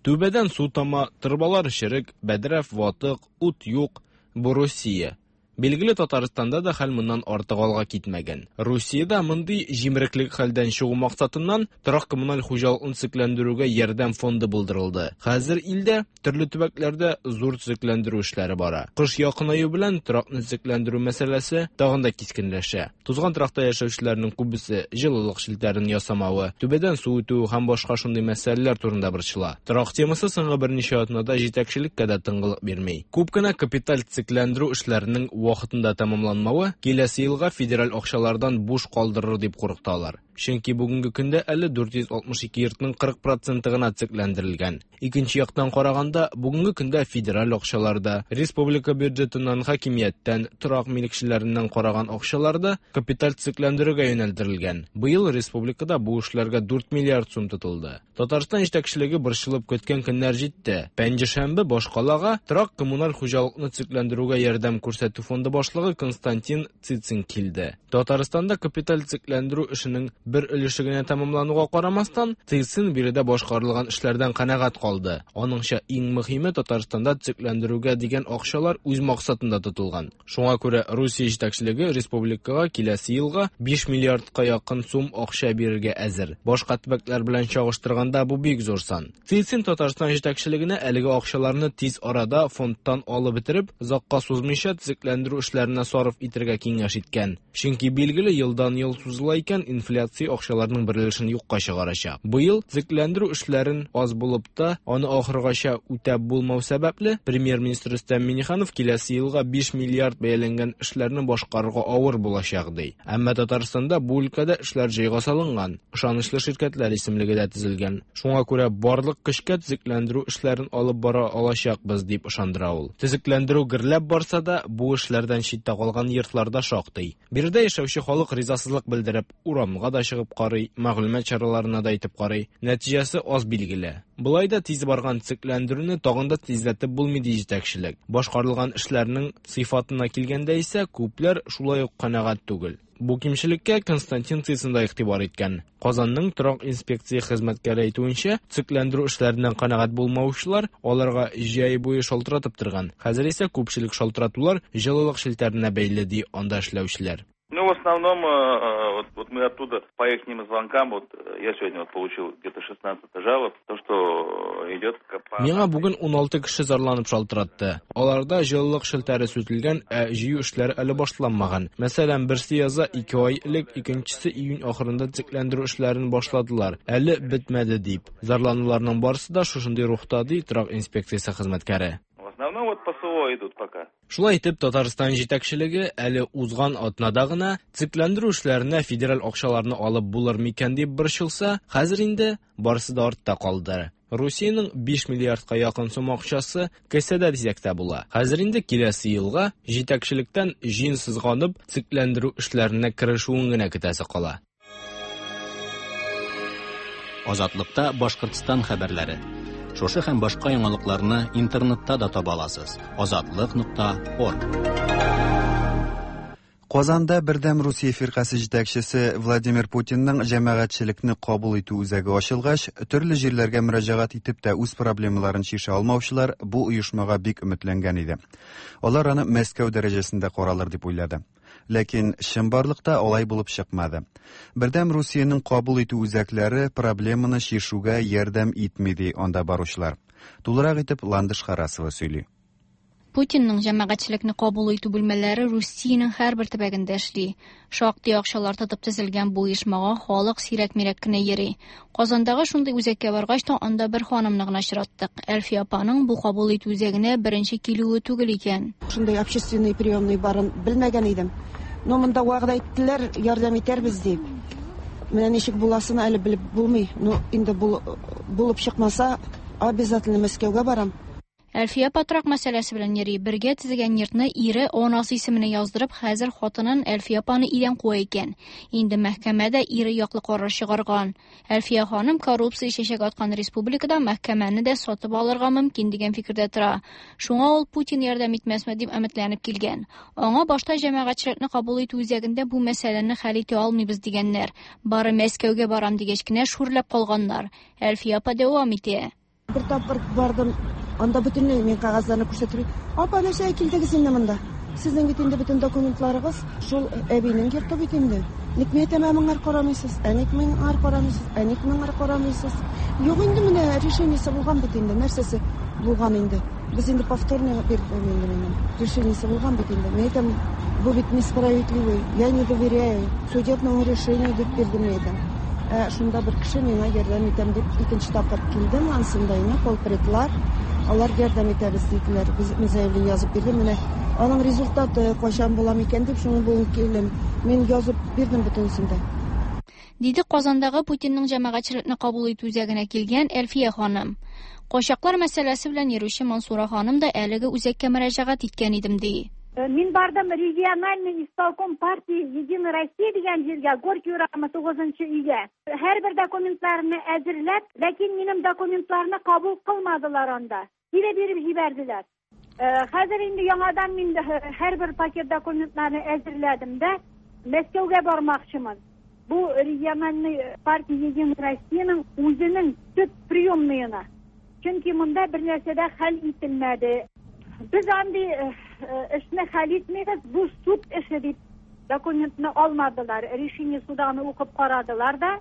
Түбәдән су тама, торбалар черек, бәдрәф ватык, ут юк. Бу Русия. Билгеле, Татарстанда да хәл моннан артык алга китмәгән. Русиядә мондый җимереклек хәлдән чыгу максатыннан торак-коммуналь хуҗалыкны төзекләндерүгә ярдәм фонды булдырылды. Хәзер илдә төрле төбәкләрдә зур төзекләндерү эшләре бара. Кыш якынаю белән торакны төзекләндерү мәсьәләсе тагын да кискенләшә. Тузган торакта яшәүчеләрнең күбесе җылылык челтәрен ясамавы, түбәдән су үтү һәм башка шундый мәсьәләләр турында борчыла. Торак темасы соңгы берничә атнада җитәкчелеккә дә тынгылык бирми. Күп кенә капиталь төзекләндерү эшләренең вакытында тәмамланмавы киләсе елга федераль акчалардан буш калдырыр дип куркыталар. Чөнки бүгенге көндә әле 462 йортның 40 проценты гына төзекләндерелгән. Икенче яктан караганда, бүгенге көндә федераль акчалар да, республика бюджетыннан, хакимияттән, торак милекчеләреннән караган акчалар да капиталь төзекләндерүгә юнәлдерелгән. Быел республикада бу эшләргә 4 миллиард сум тотылды. Татарстан җитәкчелеге борчылып көткән көннәр җитте. Пәнҗешәмбе башкалага торак-коммуналь хуҗалыкны төзекләндерүгә ярдәм күрсәтү фонды башлыгы Константин Цицин килде. Татарстанда капиталь төзекләндерү эшенең бер өлеше генә тәмамлануга карамастан, Цицин биредә башкарылган эшләрдән канәгать калды. Аныңча, иң мөһиме Татарстанда төзекләндерүгә дигән акчалар үз максатында тотылган. Шуңа күрә Русия җитәкчелеге республикага киләсе елга 5 миллиардка якын сум акча бирергә әзер. Башка төбәкләр белән чагыштырганда бу бик зур сан. Цицин Татарстан җитәкчелегенә әлеге акчаларны тиз арада фондтан алып бетереп, озакка сузмыйча төзекләндерү эшләренә сарыф итәргә киңәш иткән. Чөнки билгеле елдан-ел сузыла икән, инфляция акчаларның бер өлешен юкка чыгарачак. Быел төзекләндерү эшләрен аз булып та, аны ахыргача үтәп булмау сәбәпле, премьер-министр Рөстәм Миңнеханов киләсе елга 5 миллиард бәяләнгән эшләрне башкарырга авыр булачак ди. Әмма Татарстанда бу өлкәдә эшләр җайга салынган, ышанычлы ширкәтләр исемлеге дә төзелгән. Шуңа күрә барлык көчкә төзекләндерү эшләрен алып бара алачакбыз дип ышандыра ул. Төзекләндерү гөрләп барса да, бу эшләрдән читтә калган йортлар да шактый. Биредә яшәүче халык ризасызлык белдереп, урамга да чыгып карый, мәгълүмат чараларына да әйтеп карый. Нәтиҗәсе аз билгеле. Болай да тиз барган төзекләндерүне тагын да тизләтеп булмый ди җитәкчелек. Башкарылган эшләрнең сыйфатына килгәндә исә күпләр шулай ук канәгать түгел. Бу кимчелеккә Константин Цицин да игътибар иткән. Казанның торак инспекция хезмәткәре әйтүенчә, төзекләндерү эшләреннән канәгать булмаучылар аларга җәй буе шалтыратып торган. Хәзер исә күпчелек шалтыратулар җылылык челтәренә бәйле ди анда эшләүчеләр. Ну, в основном, вот мы оттуда по их звонкам, вот я сегодня вот получил где-то 16 жалоб, то, что идет... Миңа бүген 16 кеше зарланып шалтыратты. Аларда җылылык челтәре сүтелгән, ә җыю эшләре әле башланмаган. Мәсәлән, берсе яза 2 ай элек, икенчесе июнь ахырында төзекләндерү эшләрен башладылар. Әле бетмәде дип. Зарлануларның барысы да шушындый рухта, ди торак инспекциясе хезмәткәре. В основном вот по СВО идут пока. Шулай итеп, Татарстан җитәкчелеге әле узган атнада гына төзекләндерү эшләренә федераль акчаларны алып булыр микән дип борчылса, хәзер инде барысы да артта калды. Русиянең 5 миллиардка якын сум акчасы кесәдә дисәк тә була. Хәзер инде киләсе елга җитәкчелектән җиң сызганып төзекләндерү эшләренә керешүен генә көтәсе кала. Азатлыкта Башкортстан хәбәрләре. Шушы һәм башка яңалыкларны интернетта да таба аласыз. Азатлык.орг. Казанда Бердәм Русия фиркасе җитәкчесе Владимир Путинның җәмәгатьчелекне кабул итү үзәге ачылгач, төрле җирләргә мөрәҗәгать итеп тә үз проблемаларын чишә алмаучылар бу оешмага бик өметләнгән иде. Алар аны Мәскәү дәрәҗәсендә каралыр дип уйлады. Ләкин чынбарлыкта алай булып чыкмады. Бердәм Русиянең кабул итү үзәкләре проблеманы чишүгә ярдәм итми, ди анда баручылар. Тулырак итеп Ландыш Харасова сөйли. Путинның җәмәгатьчелекне кабул итү бүлмәләре Русиянең һәрбер төбәгендә эшли. Шактый акчалар тотып төзелгән бу оешмага халык сирәк-мирәк кенә йөри. Казандагы шундый үзәккә баргач та анда бер ханымны гына очраттык. Әлфия апаның бу кабул итү үзәгенә беренче килүе түгел икән. Шундый общественный приемный барын белмәгән идем. Но монда вәгъдә иттеләр, ярдәм итәрбез дип. Менә ничек буласын әле белеп булмый. Ну, инде булып чыкмаса, обязательно Мәскәүгә барам. Әлфия апа торак мәсьәләсе белән йөри. Бергә төзегән йортны ире анасы исеменә яздырып, хәзер хатынын Әлфия апаны өйдән куа икән. Инде мәхкәмә дә ире яклы карар чыгарган. Әлфия ханым коррупция чәчәк аткан республикада мәхкәмәне дә сатып алырга мөмкин дигән фикердә тора. Шуңа ул Путин ярдәм итмәсме дип өметләнеп килгән. Аңа башта җәмәгатьчелекне кабул итү үзәгендә бу мәсьәләне хәл итә алмыйбыз дигәннәр. Бары Мәскәүгә барам дигәч кенә шүрләп калганнар. Әлфия апа дәвам итә. Бер тапкыр бардым, анда бөтенләй мин кәгазьләрне күрсәтеп, апа, нәрсәгә килдегез инде монда? Сезнең бит инде бөтен документларыгыз шул әбинең йорты бит инде. Ник мин әйтәм, ә моңар карамыйсыз? Ә ник моңар карамыйсыз? Ә ник моңар карамыйсыз? Юк инде менә решениесе булган бит инде, нәрсәсе булган инде. Без инде повторно бирдем инде минем. Решениесе булган бит инде. Мин әйтәм, бу бит несправедливый, я не доверяю судебному решению дип бирдем мин әйтәм. Шунда бер кеше миңа ярдәм итәм дип икенче тапкыр килдем, ансында инде полпредлар, алар ярдәм итәбез диделәр. Без мин заявление язып бирдем. Менә аның результаты кайчан була микән дип шуны бүген килдем. Мин язып бирдем бөтенесен дә. Диде Казандагы Путинның җәмәгатьчелекне кабул итү үзәгенә килгән Әлфия ханым. Качаклар мәсьәләсе белән йөрүче Мансура ханым да әлеге үзәккә мөрәҗәгать иткән идем ди. Мин бардым региональный исполком партии Единой России дигән җиргә, Горький урамы 9 өйгә. Һәрбер документларны әзерләп, ләкин минем документларны кабул кылмадылар анда. Кире биреп җибәрделәр. Хәзер инде яңадан мин һәрбер пакет документларны әзерләдем дә, Мәскәүгә бармакчымын. Бу региональный партия Единой Россиянең үзенең төп приемныена. Чөнки монда бер нәрсә дә хәл ителмәде. Без андый эшне хәл итмибез, бу суд эше дип документны алмадылар. Решение суданы укып карадылар да.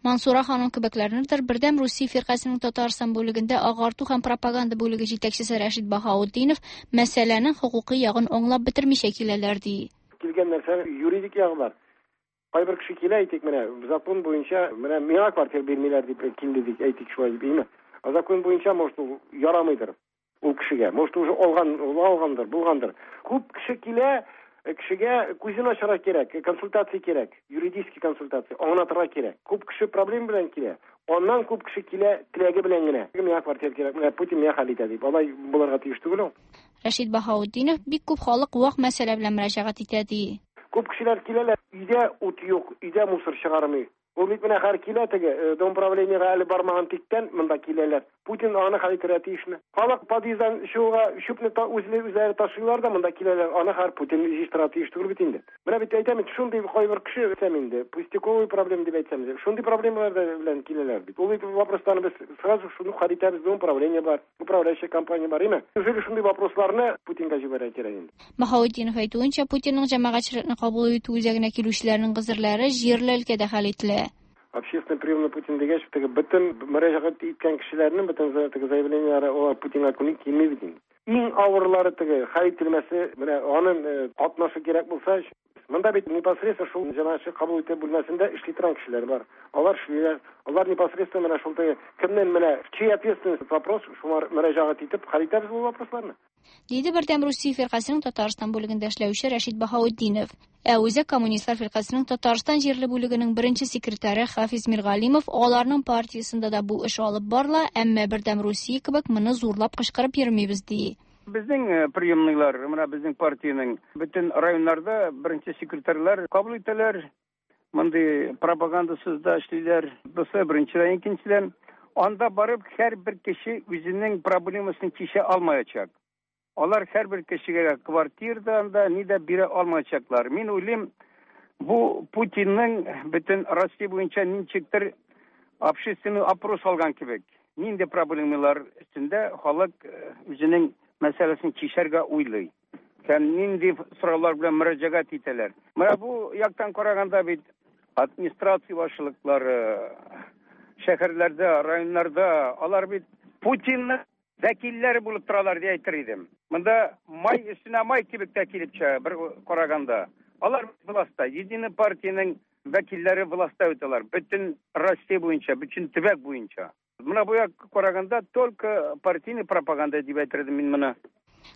Мансура ханым кебекләрнедер Бердәм Русия фиркасының Татарстан бүлегендә агарту һәм пропаганда бүлеге җитәкчесе Рәшит Баһаутдинов мәсьәләнең хокукый ягын аңлап бетермичә киләләр ди. Килгән нәрсәнең юридик ягы бар. Кайбер кеше килә, әйтик, менә закон буенча, менә миңа квартира бирмиләр дип килде дип, әйтик шулай дип, әйме? А закон буенча, может, ул ярамыйдыр ул кешегә. Может, уже алган, ул алгандыр, булгандыр. Күп кеше килә, кешегә күзен ачарга кирәк, консультация кирәк, юридический консультация, аңлатырга кирәк. Күп кеше проблема белән килә. Аннан күп кеше килә теләге белән генә. Миңа квартира кирәк, менә Путин миңа хәл итә дип. Алай булырга тиеш түгел ул. Рәшит Баһаутдинов бик күп халык вак мәсьәлә белән мөрәҗәгать итә ди. Күп кешеләр киләләр, өйдә ут юк, өйдә мусор чыгармый. Ул бит менә хәр килә теге, дом правлениега әле бармаган тиктән монда киләләр. Путин аны хәл итәргә тиешме? Халык подъезддан чыгуга чүпне үзләре ташыйлар да монда киләләр. Аны хәр Путин җыештырырга тиеш түгел бит инде. Менә бит әйтәм, шундый кайбер кеше әйтәм инде, пустяковый проблема дип әйтсәм, шундый проблемалар белән киләләр бит. Ул бит вопросларны без сразу шуны хәл итәбез, дом правление бар, управляющая компания бар, име? Неужели шундый вопросларны Путинга җибәрергә кирәк инде? Баһаутдинов әйтүенчә, Путинның җәмәгатьчелекне кабул итү үзәгенә килүчеләрнең гозерләре җирле өлкәдә хәл ителә. Общественный приемный Путин дигәч, теге бөтен мөрәҗәгать иткән кешеләрнең бөтен теге заявлениеләре алар Путинга килми бит инде. Иң авырлары теге хәл ителмәсе, менә аның катнашы кирәк булса, монда бит непосредственно шул җәмәгатьчелек кабул итү бүлмәсендә эшли торган кешеләр бар. Алар эшлиләр. Алар непосредственно менә шул теге кемнән менә в чьей ответственность вопрос, шулар мөрәҗәгать итеп хәл итәбез бу вопросларны. Диде Бердәм Русия фиркасенең Татарстан бүлегендә эшләүче Рәшит Баһаутдинов. Ә Үзәк коммунистлар фиркасенең Татарстан җирле бүлегенең беренче секретаре Хафиз Миргалимов аларның партиясендә дә бу эш алып барыла, әмма Бердәм Русия кебек моны зурлап кычкырып йөрмибез, ди. Безнең э, приемныйлар, менә безнең партиянең бөтен районнарда беренче секретарьлар кабул итәләр. Мондый пропагандасыз да эшлиләр. Бусы беренчедән, икенчедән, анда барып һәрбер кеше үзенең проблемасын чишә алмаячак. Алар һәрбер кешегә квартира да анда ни дә бирә алмаячаклар. Мин уйлыйм, бу Путинның бөтен Россия буенча ничектер общественный опрос алган кебек. Нинди проблемалар өстендә халык э, үзенең мәсьәләсен чишәргә уйлый. Һәм нинди сораулар белән мөрәҗәгать итәләр. Менә бу яктан караганда бит администрация башлыклары шәһәрләрдә, районнарда алар бит Путинның вәкилләре булып торалар дип әйтер идем. Монда май өстенә май кебек тә килеп чыга бер караганда. Алар властьта, Единый партиянең вәкилләре властьта бит алар. Бөтен Россия буенча, бөтен төбәк буенча. Менә бу як караганда только партийный пропаганда дип әйтер идем мин моны.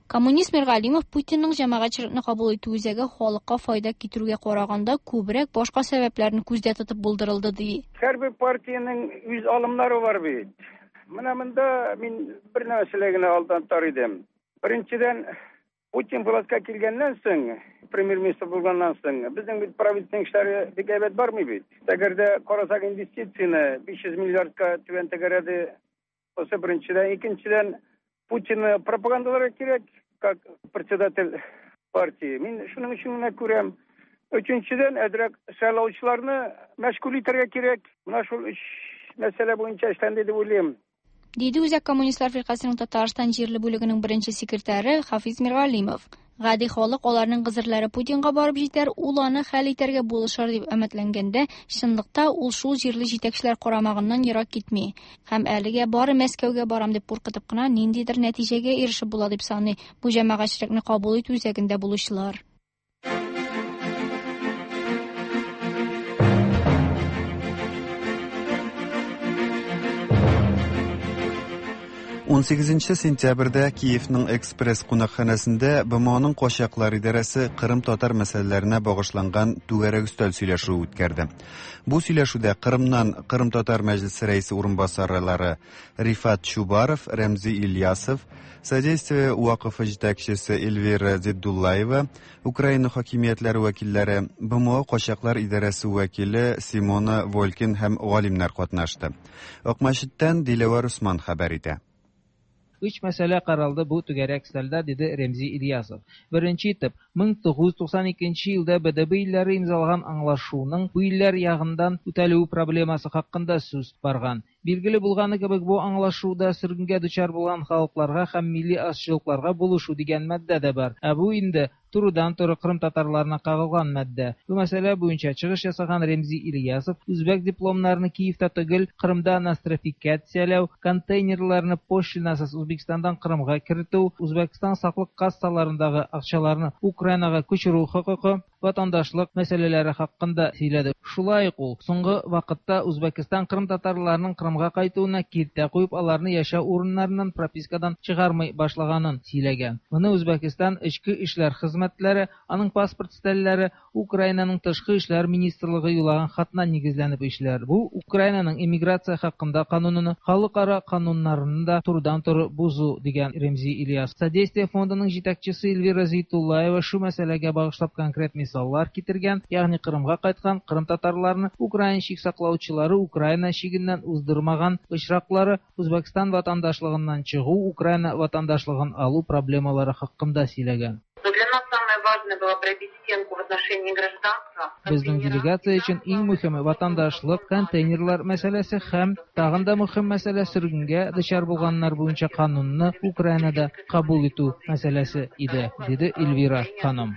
Коммунист Миргалимов Путинның җәмәгатьчелекне кабул итү үзәге халыкка файда китерүгә караганда күбрәк башка сәбәпләрне күздә тотып булдырылды ди. Һәрбер партиянең үз алымнары бар бит. Менә монда мин бер нәрсәләр генә алдан тар идем. Беренчедән, Путин властька килгәннән соң, премьер-министр булганнан соң, безнең бит правительственный эшләре бик әйбәт бармый бит. Әгәр дә карасак инвестицияне 500 миллиардка түбән тәгәрәде. Бусы беренчедән, икенчедән, Путинны пропагандаларга кирәк, как председатель партии. Мин шуның өчен генә күрәм. Өченчедән, әзрәк сайлаучыларны мәшгуль итәргә кирәк. Менә шул өч мәсьәлә буенча эшләнде дип уйлыйм. Диде Үзәк коммунистлар фиркасенең Татарстан җирле бүлегенең беренче секретаре Хафиз Миргалимов. Гади халык аларның гозерләре Путинга барып җитәр, ул аны хәл итәргә булышыр дип өметләнгәндә, чынлыкта ул шул җирле җитәкчеләр карамагыннан ерак китми. Һәм әлегә бары Мәскәүгә барам дип куркытып кына ниндидер нәтиҗәгә ирешеп була дип саный бу җәмәгатьчелекне кабул итү үзәгендә булучылар. 18 сентябрьдә Киевның Экспресс кунакханәсендә БМОның качаклар идарәсе Кырым татар мәсьәләләренә багышланган түгәрәк өстәл сөйләшүе үткәрде. Бу сөйләшүдә Кырымнан Кырым татар мәҗлесе рәисе урынбасарлары Рифат Чубаров, Рәмзи Ильясов, Содействие вакыфы җитәкчесе Эльвира Зиддуллаева, Украина хакимиятләре вәкилләре, БМО качаклар идарәсе вәкиле Симона Волькин һәм галимнәр катнашты. Акмәчеттән Диләвәр Усман хәбәр итә. Өч мәсьәлә каралды бу түгәрәк өстәлдә, диде Ремзи Ильясов. Беренче итеп, 1992 елда БДБ илләре имзалаган аңлашуның бу илләр ягыннан үтәлүе проблемасы хакында сүз барган. Билгеле булганы кебек, бу аңлашуда сөргенгә дучар булган халыкларга һәм милли азчылыкларга булышу дигән маддә дә бар. Ә бу инде турыдан-туры кырым татарларына кагылган маддә. Бу мәсьәлә буенча чыгыш ясаган Ремзи Ильясов үзбәк дипломнарны Киевта түгел, Кырымда нострификацияләү, контейнерларны пошлинасыз Үзбәкстаннан Кырымга кертү, Үзбәкстан саклык кассаларындагы акчаларны Украинага күчерү хокукы, ватандашлык мәсьәләләре хакында сөйләде. Шулай ук ул соңгы вакытта Үзбәкстан кырым татарларының Кырымга кайтуына киртә куеп, аларны яшәү урыннарыннан пропискадан чыгармый башлаганын сөйләгән. Моны Үзбәкстан эчке эшләр хезмәтләре, аның паспорт стәлләре, Украинаның тышкы эшләр министрлыгы юллаган хатына нигезләнеп эшләр. Бу Украинаның иммиграция хакында кануныны, халыкара кануннарны да турыдан-туры бозу, дигән Ремзи Ильясов. Содействие фондының җитәкчесе Эльвира Зейтуллаева шу мәсьәләгә багышлап конкрет мисаллар китергән, ягъни Кырымга кайткан кырым татарларны Украина чик саклаучылары Украина чигеннән уздырмаган очраклары, Үзбәкстан ватандашлыгыннан чыгу, Украина ватандашлыгын алу проблемалары хакында сөйләгән. Для нас самое важное было пробить стенку в отношении гражданства. Безнең делегация өчен иң мөһиме ватандашлык, контейнерлар мәсьәләсе һәм тагын да мөһим мәсьәлә сөргенгә дучар булганнар буенча канунны Украинада кабул итү мәсьәләсе иде, диде Эльвира ханым.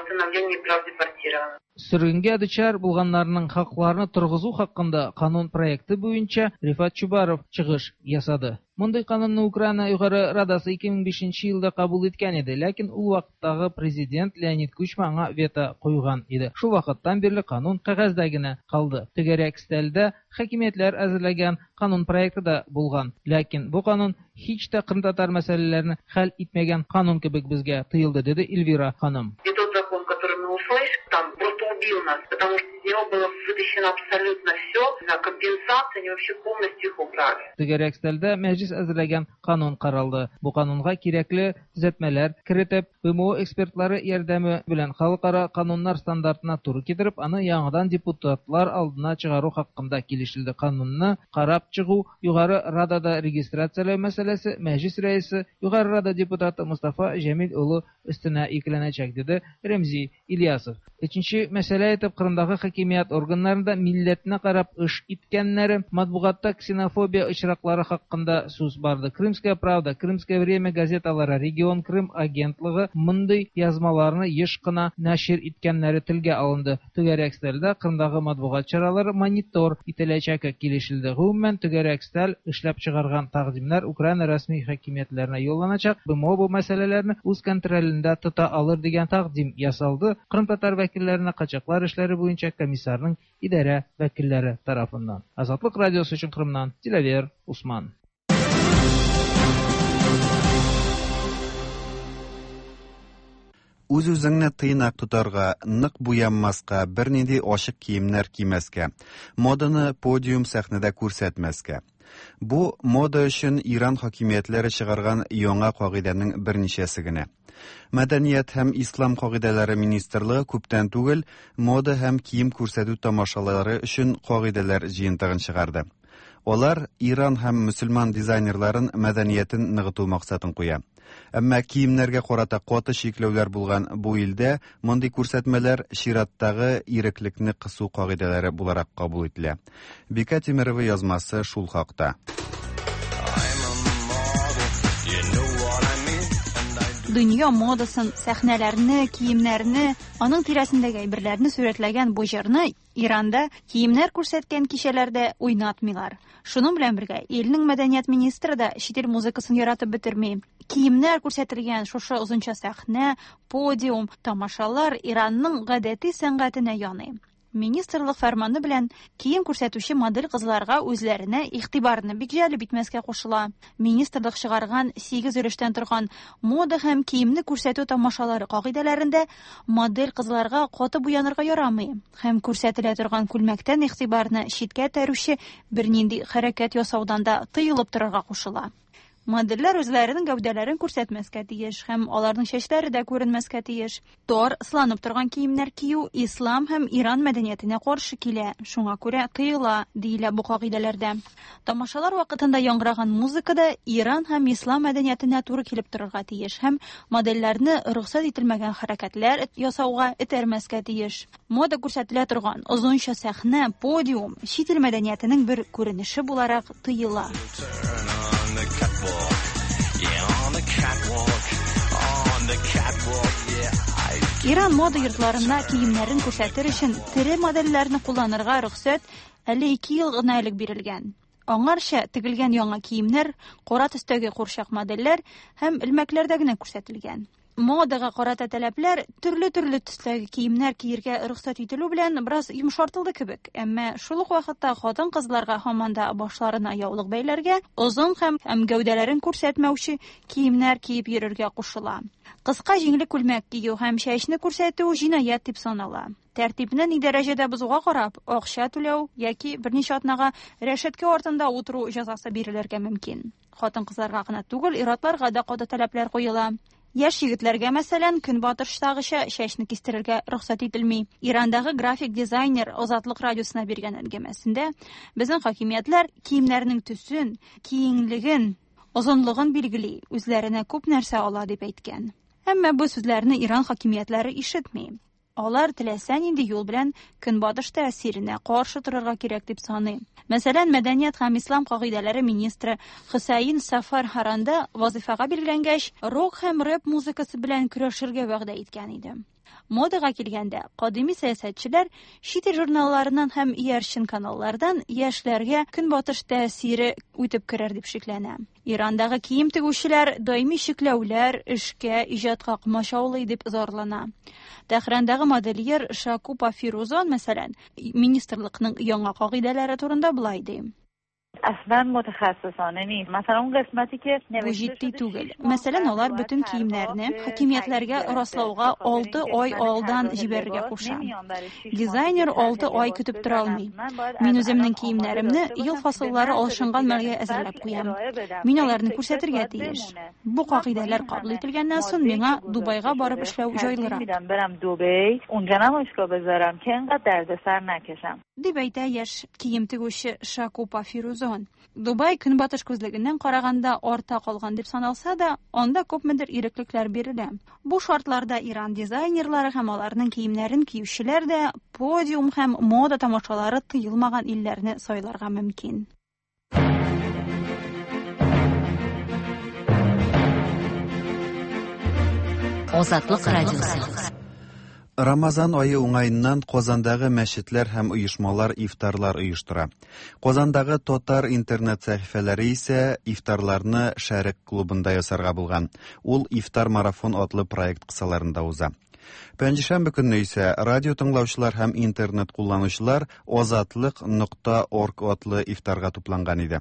восстановлении прав депортированных. Сөргенгә дучар булганнарның хакларын торгызу хакында канун проекты буенча Рифат Чубаров чыгыш ясады. Мондый канунны Украина Югары Радасы 2005 елда кабул иткән иде, ләкин ул вакыттагы президент Леонид Кучма аңа вето куйган иде. Шул вакыттан бирле канун кәгазьдә генә калды. Түгәрәк өстәлдә хакимиятләр әзерләгән канун проекты да булган. Ләкин бу канун һич тә кырымтатар мәсьәләләрен хәл итмәгән канун кебек безгә тоелды, диде Эльвира ханым. И тот закон, который мы услышали, там просто убил нас, потому что из него было вытащено абсолютно все, на компенсации они вообще полностью их убрали. Түгәрәк өстәлдә мәҗлис әзерләгән канун каралды. Бу канунга кирәкле төзәтмәләр кертеп, БМО экспертлары ярдәме белән халыкара кануннар стандартына туры китереп, аны яңадан депутатлар алдына чыгару хакында килешелде. Канунны карап чыгу Югары Радада регистрацияләү мәсьәләсе Мәҗлис рәисе, Югары Рада депутаты Мустафа Җәмил улы өстенә йөкләнәчәк, диде Рәмзи Ильясов. Өченче мәсьәлә итеп Кырымдагы хакимият органнарында милләтенә карап эш иткәннәре, матбугатта ксенофобия очраклары хакында сүз барды. Крымская правда, Крымское время газеталары, Регион Крым агентлыгы мондый язмаларны еш кына нәшир иткәннәре телгә алынды. Түгәрәк өстәлдә Кырымдагы матбугат чаралары монитор ителәчәге килешелде. Гомумән, түгәрәк өстәл эшләп чыгарган тәкъдимнәр Украина рәсми хакимиятләренә юлланачак. БМО бу мәсьәләләрне үз контролендә тота алыр дигән тәкъдим ясалды. Кырымтатар вәкилләренә качаклар эшләре буенча комиссарның идарә вәкилләре тарафыннан. Азатлык радиосы өчен Кырымнан Диләвер Усман. Үз-үзеңне тыйнак тотарга, нык буянмаска, бернинди ачык киемнәр кимәскә, моданы подиум сәхнәдә күрсәтмәскә. Бу мода өчен Иран хакимиятләре чыгарган яңа кагыйдәнең берничәсе генә. Мәдәният һәм ислам кагыйдәләре министрлыгы күптән түгел мода һәм кием күрсәтү тамашалары өчен кагыйдәләр җыентыгын чыгарды. Алар Иран һәм мөселман дизайнерларын мәдәниятен ныгыту максатын куя. Әмма киемнәргә карата каты чикләүләр булган бу илдә мондый күрсәтмәләр чираттагы иреклекне кысу кагыйдәләре буларак кабул ителә. Бикә Тимерова язмасы шул хакта. Дөнья модасын, сәхнәләрне, киемнәрне, аның тирәсендәге әйберләрне сурәтләгән бу җырны Иранда киемнәр күрсәткән кичәләрдә уйнатмыйлар. Шуның белән бергә илнең мәдәният министры да чит ил музыкасын яратып бетерми. Киемнәр күрсәтелгән шушы озынча сәхнә, подиум, тамашалар Иранның гадәти сәнгатенә яный. Министрлык фәрманы белән кием күрсәтүче модель кызларга үзләренә игътибарны бик җәлеп итмәскә кушыла. Министрлык чыгарган 8 өлештән торган мода һәм киемне күрсәтү тамашалары кагыйдәләрендә модель кызларга каты буянырга ярамый һәм күрсәтелә торган күлмәктән игътибарны читкә этәрүче бернинди хәрәкәт ясаудан да тыелып торырга кушыла. Модельләр үзләренең гәүдәләрен күрсәтмәскә тиеш һәм аларның чәчләре дә күренмәскә тиеш. Тар, сыланып торган киемнәр кию ислам һәм Иран мәдәниятенә каршы килә, шуңа күрә тыела, диелә бу кагыйдәләрдә. Тамашалар вакытында яңгыраган музыка да Иран һәм ислам мәдәниятенә туры килеп торырга тиеш һәм модельләрне рөхсәт ителмәгән хәрәкәтләр ясауга этәрмәскә тиеш. Мода күрсәтелә торган озынча сәхнә, подиум чит ил мәдәниятенең бер күренеше буларак тыела. Иран мода йортларында киемнәрен күрсәтер өчен тере модельләрне кулланырга рөхсәт әле 2 ел гына элек бирелгән. Аңарча тегелгән яңа киемнәр, кара төстәге курчак модельләр һәм элмәкләрдә генә күрсәтелгән. Модага карата таләпләр төрле-төрле төстәге киемнәр киергә рөхсәт ителү белән бераз йомшартылды кебек. Әмма шул ук вакытта хатын-кызларга һаман да башларына яулык бәйләргә, озын һәм гәүдәләрен күрсәтмәүче киемнәр киеп йөрергә кушыла. Кыска җиңле күлмәк кию һәм чәчне күрсәтү җинаять дип санала. Тәртипне ни дәрәҗәдә бозуга карап, акча түләү яки берничә атнага рәшәткә артында утыру җәзасы бирелергә мөмкин. Хатын-кызларга гына түгел, ир-атларга да каты таләпләр куела. Яшь егетләргә, мәсәлән, көнбатыштагыча чәчне кистерергә рөхсәт ителми. Ирандагы график дизайнер Азатлык радиосына биргән әңгәмәсендә безнең хакимиятләр киемнәрнең төсен, киңлеген, озынлыгын билгели, үзләренә күп нәрсә ала дип әйткән. Әмма бу сүзләрне Иран хакимиятләре ишетми. Алар теләсә нинди юл белән көнбатыш тәэсиренә каршы торырга кирәк дип саный. Мәсәлән, мәдәният һәм ислам кагыйдәләре министры Хөсәен Сафар Харанда вазифага билгеләнгәч, рок һәм рэп музыкасы белән көрәшергә вәгъдә иткән иде. Модага килгәндә, кадими сәясәтчеләр чит ил журналларыннан һәм иярчен каналлардан яшьләргә көнбатыш тәэсире үтеп керер дип шикләнә. Ирандагы кием тегүчеләр даими чикләүләр, эшкә, иҗатка комачаулый дип зарлана. Тәһрандагы модельер Шакупа Фирузон, мәсәлән, министрлыкның яңа кагыйдәләре турында болай ди. اصلا متخصصانه نیست. مثلا اون قسمتی که Бу җитди түгел. Мәсәлән, алар бөтен киемнәрне хакимиятләргә раслауга 6 ай алдан җибәрергә куша. Дизайнер 6 ай көтеп тора алмый. Мин үземнең киемнәремне ел фасыллары алышынган мәлгә әзерләп куям. Мин аларны күрсәтергә тиеш. Бу кагыйдәләр кабул ителгәннән соң миңа Дубайга барып эшләү җайлырак. میدم برم دبی اونجا نمایشگاه بذارم که انقدر دردسر نکشم. Дип әйтә яшь кием тегүче Шакупа Фирузон. Дубай көнбатыш күзлегеннән караганда арта калган дип саналса да, анда күпмедер иреклекләр бирелә. Бу шартларда Иран дизайнерлары һәм аларның киемнәрен киючеләр дә подиум һәм мода тамашалары тыелмаган илләрне сайларга мөмкин. Азатлык радиосы. Рамазан ае уңаеннан Казандагы мәчетләр һәм оешмалар ифтарлар оештыра. Казандагы татар интернет сәхифәләре исә ифтарларны Шәрык клубында ясарга булган. Ул Ифтар марафон атлы проект кысаларында уза. Пәнҗешәмбе көнне исә радио тыңлаучылар һәм интернет кулланучылар Азатлык.орг атлы ифтарга тупланган иде.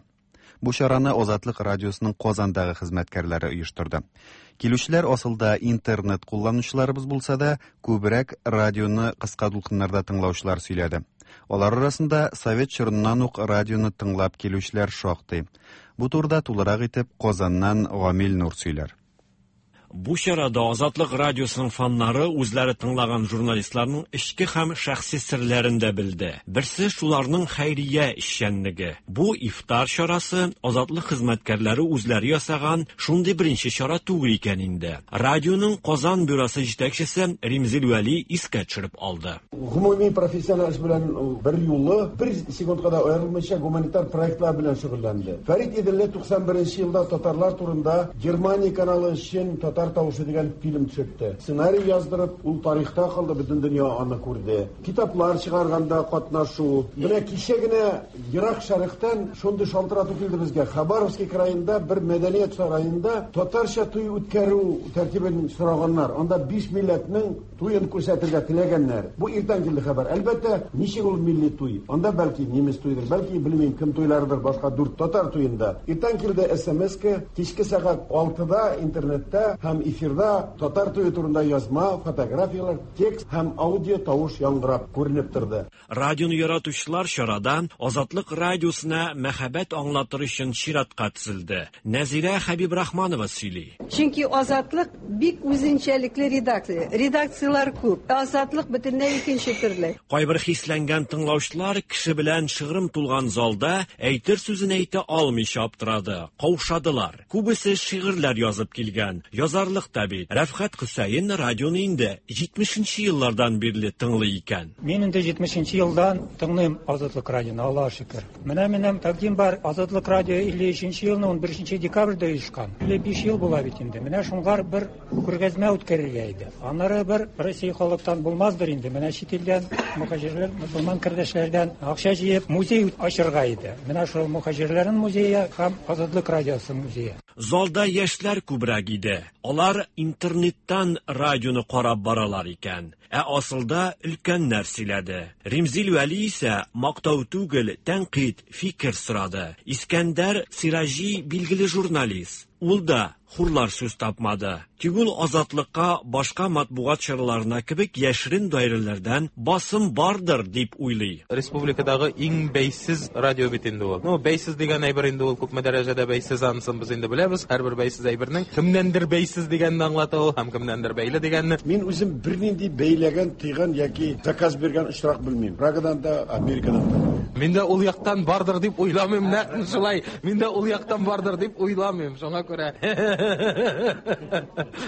Бу чараны Азатлык радиосының Казандагы хезмәткәрләре оештырды. Килүчеләр асылда интернет кулланучыларыбыз булса да, күбрәк радионы кыска дулкыннарда тыңлаучылар сөйләде. Алар арасында совет чорыннан ук радионы тыңлап килүчеләр шактый. Бу турыда тулырак итеп Казаннан Гамил Нур сөйләр. Бу чарада Азатлык радиосының фаннары үзләре тыңлаган журналистларның эчке һәм шәхси серләрен дә белде. Берсе шуларның хәйрия эшчәнлеге. Бу ифтар чарасы Азатлык хезмәткәрләре үзләре ясаган шундый беренче чара түгел икән инде. Радионың Казан бюросы җитәкчесе Римзил Вәли искә төшереп алды. Гомуми профессиональ эш белән бер юлы бер секундка да аерылмыйча гуманитар проектлар белән шөгыльләнде. Фәрит Иделле 91 елда татарлар турында Германия каналы өчен Татар тавышы дигән фильм төшертте. Сценарий яздырып, ул тарихта калды, бөтен дөнья аны күрде. Китаплар чыгарганда катнашу. Менә кичә генә Ерак Шәрыктан шундый шалтырату килде безгә. Хабаровский краенда бер мәдәният сараенда татарча туй үткәрү тәртибен сораганнар. Анда 5 милләтнең туен күрсәтергә теләгәннәр. Бу иртән килде хәбәр. Әлбәттә, ничек ул милли туй? Анда бәлки немец туйдыр, бәлки белмим кем туйларыдыр, башка дүрт татар туенда. Иртән килде СМС-ка, кичке сәгать 6-да интернетта һәм эфирда татар туе турында язма, фотографияләр, текст һәм аудио тавыш яңгырап күренеп торды. Радионы яратучылар чарада Азатлык радиосына мәхәббәт аңлатыр өчен чиратка тезелде. Нәзирә Хәбибрахманова сөйли. Чөнки Азатлык бик үзенчәлекле редакция. Редакцияләр күп. Азатлык бөтенләй икенче төрле. Кайбер хисләнгән тыңлаучылар кеше белән шыгрым тулган залда әйтер сүзен әйтә алмыйча аптырады, каушадылар. Күбесе шигырьләр язып килгән. Язарлык та бит. Рәфхәт Хөсәен радионы инде 70 еллардан бирле тыңлый икән. Мин инде 70 елдан тыңлыйм Азатлык радионы, Аллаһ шөкер. Менә минем тәкъдим бар. Азатлык радио 53 елны 11 декабрьдә оешкан. 55 ел була бит инде. Менә шуңар бер күргәзмә үткәрергә иде. Аннары бер Россия халыктан булмаздыр инде. Менә чит илдән мөхаҗирләр, мөселман кардәшләрдән акча җыеп музей ачырга иде. Менә шул мөхаҗирләрнең музее һәм Азатлык радиосы музее. Залда яшьләр күбрәк иде. Алар интернеттан радионы карап баралар икән. Ә асылда өлкәннәр сөйләде. Римзил Вәли исә мактау түгел, тәнкыйть, фикер сорады. Искәндәр Сираҗи билгеле журналист. Ул да хурлар сүз тапмады. Тик ул Азатлыкка башка матбугат чараларына кебек яшерен даирәләрдән басым бардыр дип уйлый. Республикадагы иң бәйсез радио бит инде ул. Ну, бәйсез дигән әйбер инде ул күпме дәрәҗәдә бәйсез, анысын без инде беләбез. Һәрбер бәйсез әйбернең кемнәндер бәйсез дигәнне аңлата ул һәм кемнәндер бәйле дигәнне. Мин үзем бернинди бәйләгән, тыйган яки заказ биргән очрак белмим. Прагадан да, Америкадан да. Мин дә ул яктан бардыр дип уйламыйм, нәкъ шулай. Мин дә ул яктан бардыр дип уйламыйм. Шуңа күрә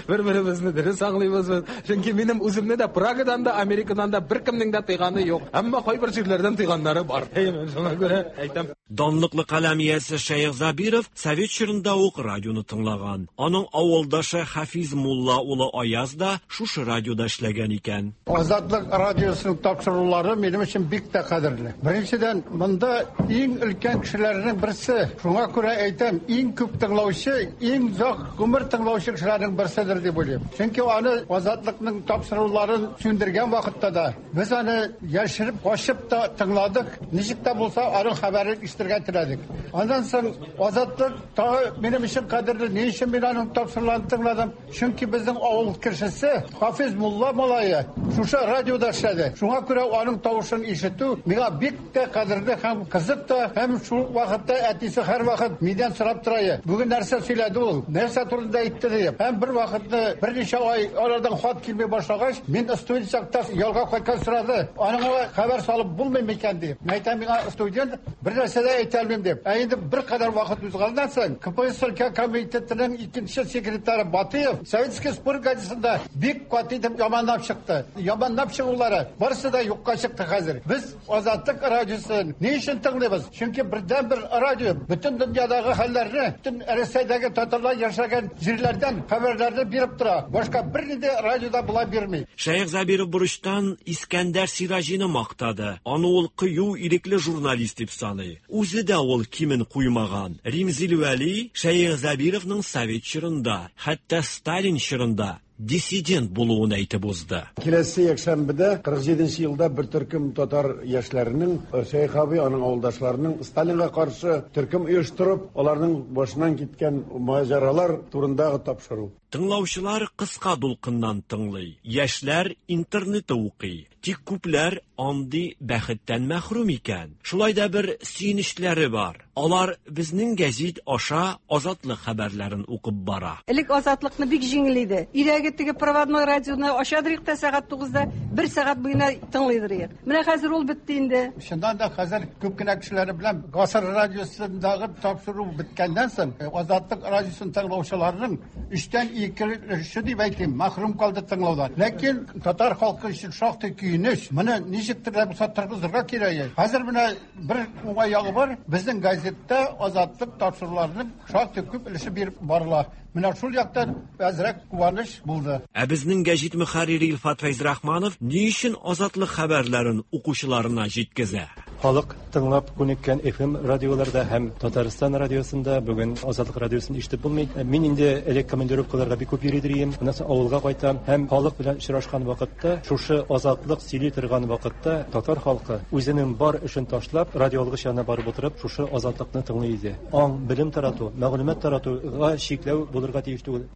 бер-беребезне дөрес аңлыйбыз без. Чөнки минем үземне дә Прагадан да, Америкадан да беркемнең дә тыйганы юк. Әмма кайбер җирләрдән тыйганнары бар. Шуңа күрә әйтәм. Данлыклы каләм иясе Шәех Забиров совет чорында ук радионы тыңлаган. Аның авылдашы Хафиз мулла улы Аяз да шушы радиода эшләгән икән. Азатлык радиосының тапшырулары минем өчен бик тә кадерле. Беренчедән, монда иң өлкән кешеләрнең берсе. Шуңа күрә әйтәм, иң күп тыңлаучы, иң озак гомер тыңлаучы кешеләрнең берседер дип уйлыйм. Чөнки аны Азатлыкның тапшыруларын сүндергән вакытта да без аны яшереп, качып та тыңладык. Ничек тә булса аның хәбәрен ишетергә теләдек. Аннан соң Азатлык тагы минем өчен кадерле. Ни өчен мин аның тапшыруларын тыңладым? Чөнки безнең авыл кешесе Хафиз мулла малае шушы радиода эшләде. Шуңа күрә аның тавышын ишетү миңа бик тә кадерле һәм кызык та, һәм шул вакытта әтисе һәрвакыт миннән сорап тора. Бүген нәрсә сөйләде ул? Нәрсә турында әйтте дип. Һәм бер вакытны берничә ай алардан хат килми башлагач, мин студент чакта ялга кайткан сорады. Аныңа хәбәр салып булмый микән дип. Мин әйтәм, миңа студент бер нәрсә дә әйтә алмыйм дип. Ә инде бер кадәр вакыт узганнан соң КПСС өлкә комитетының икенче секретаре Батыев Советский спорт газетасында бик каты итеп яманлап чыкты. Яманлап чыгулары барысы да юкка чыкты хәзер. Без Азатлык радиосын ни өчен тыңлыйбыз? Чөнки бердән-бер радио бөтен дөньядагы хәлләрне, бөтен Рәсәйдәге татарлар яшәгән җирләрдән хәбәрләрне биреп тора. Башка бернинди радио да болай бирми. Шәех Забиров бурычтан Искәндәр Сираҗины мактады. Аны ул кыю, ирекле журналист дип саный. Үзе дә ул кимен куймаган. Римзил Вәли Шәех Забировның совет чорында, хәтта Сталин чорында диссидент булуын әйтеп узды. Киләсе якшәмбедә 47 елда бер төркем татар яшьләренең Шәех абый, аның авылдашларының Сталинга каршы төркем оештырып, аларның башыннан киткән маҗаралар турындагы тапшыру. Тыңлаучылар кыска дулкыннан тыңлый, яшьләр интернетта укый. Тик күпләр андый бәхеттән мәхрүм икән. Шулай да бер сөенечләре бар. Алар безнең гәзит аша Азатлык хәбәрләрен укып бара. Элек Азатлыкны бик җиңел иде. Өйдәге теге проводной радионы ачадыр идек тә сәгать 9-да бер сәгать буена тыңлыйдыр идек. Менә хәзер ул бетте инде. Чыннан да хәзер күп кенә кешеләр белән Гасыр радиосындагы тапшыру беткәннән соң Азатлык радиосын тыңлаучыларның өчтән ике өлеше дип әйтим, мәхрүм калды тыңлаудан. Ләкин татар халкы өчен шактый көенеч. Моны ничектер дә булса торгызырга кирәк. Хәзер менә бер уңай ягы бар. Безнең газетта Азатлык тапшыруларының шактый күп өлеше биреп барыла. Менә шул яктан әзрәк куаныч булды. Ә безнең гәҗит мөхәррире Илфат Фәйзрахманов ни өчен Азатлык хәбәрләрен укучыларына җиткезә? Халык тыңлап күнеккән FM радиоларда һәм Татарстан радиосында бүген Азатлык радиосын ишетеп булмый. Мин инде элек командировкаларга бик күп йөри идем. Аннан соң авылга кайтам һәм халык белән очрашкан вакытта, шушы Азатлык сөйли торган вакытта татар халкы үзенең бар эшен ташлап, радиоалгыч янына барып утырып, шушы Азатлыкны тыңлый иде. Аң, белем тарату, мәгълүмат таратуга чикләү булырга тиеш түгел.